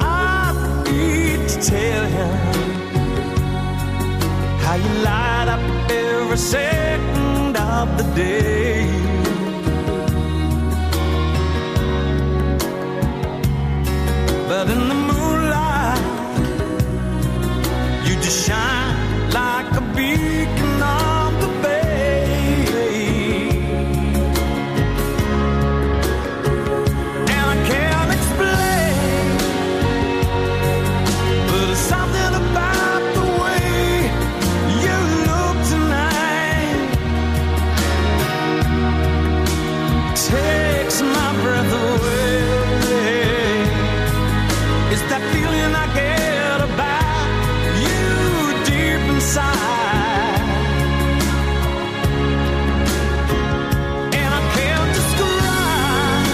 I need to tell you how you light up every second of the day. But in the moonlight you just shine like a beacon on the bay. And I can't explain, but it's something about the way you look tonight takes my breath away. It's that feeling I get about you deep inside, and I can't describe,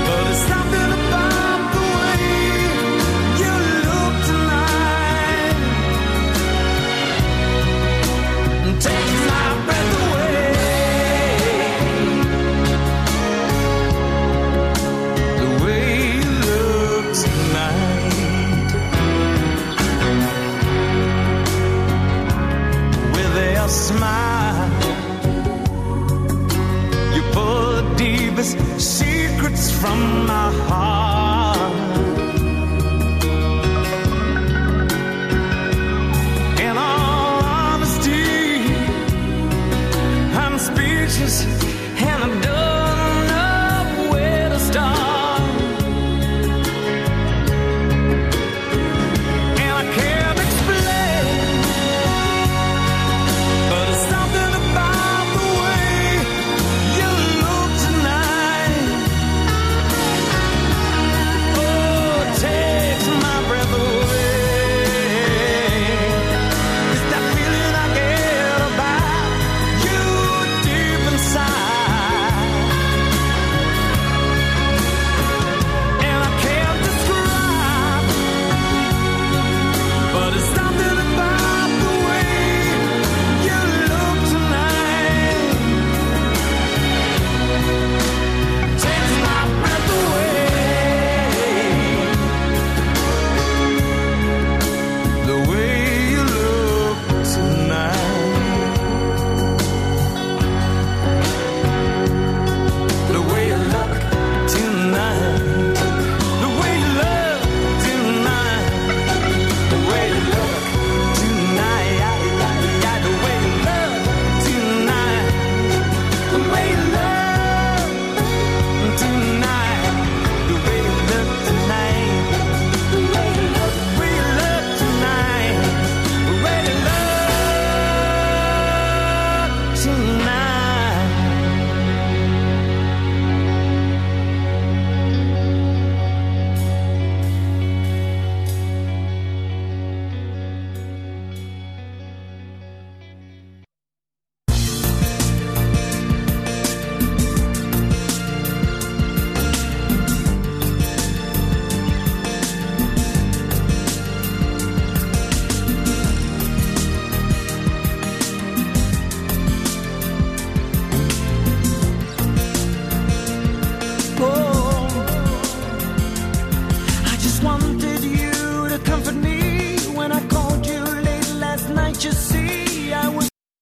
but it's something about the way you look tonight and takes my breath away. Smile, you pull the deepest secrets from my heart. In all honesty, I'm speechless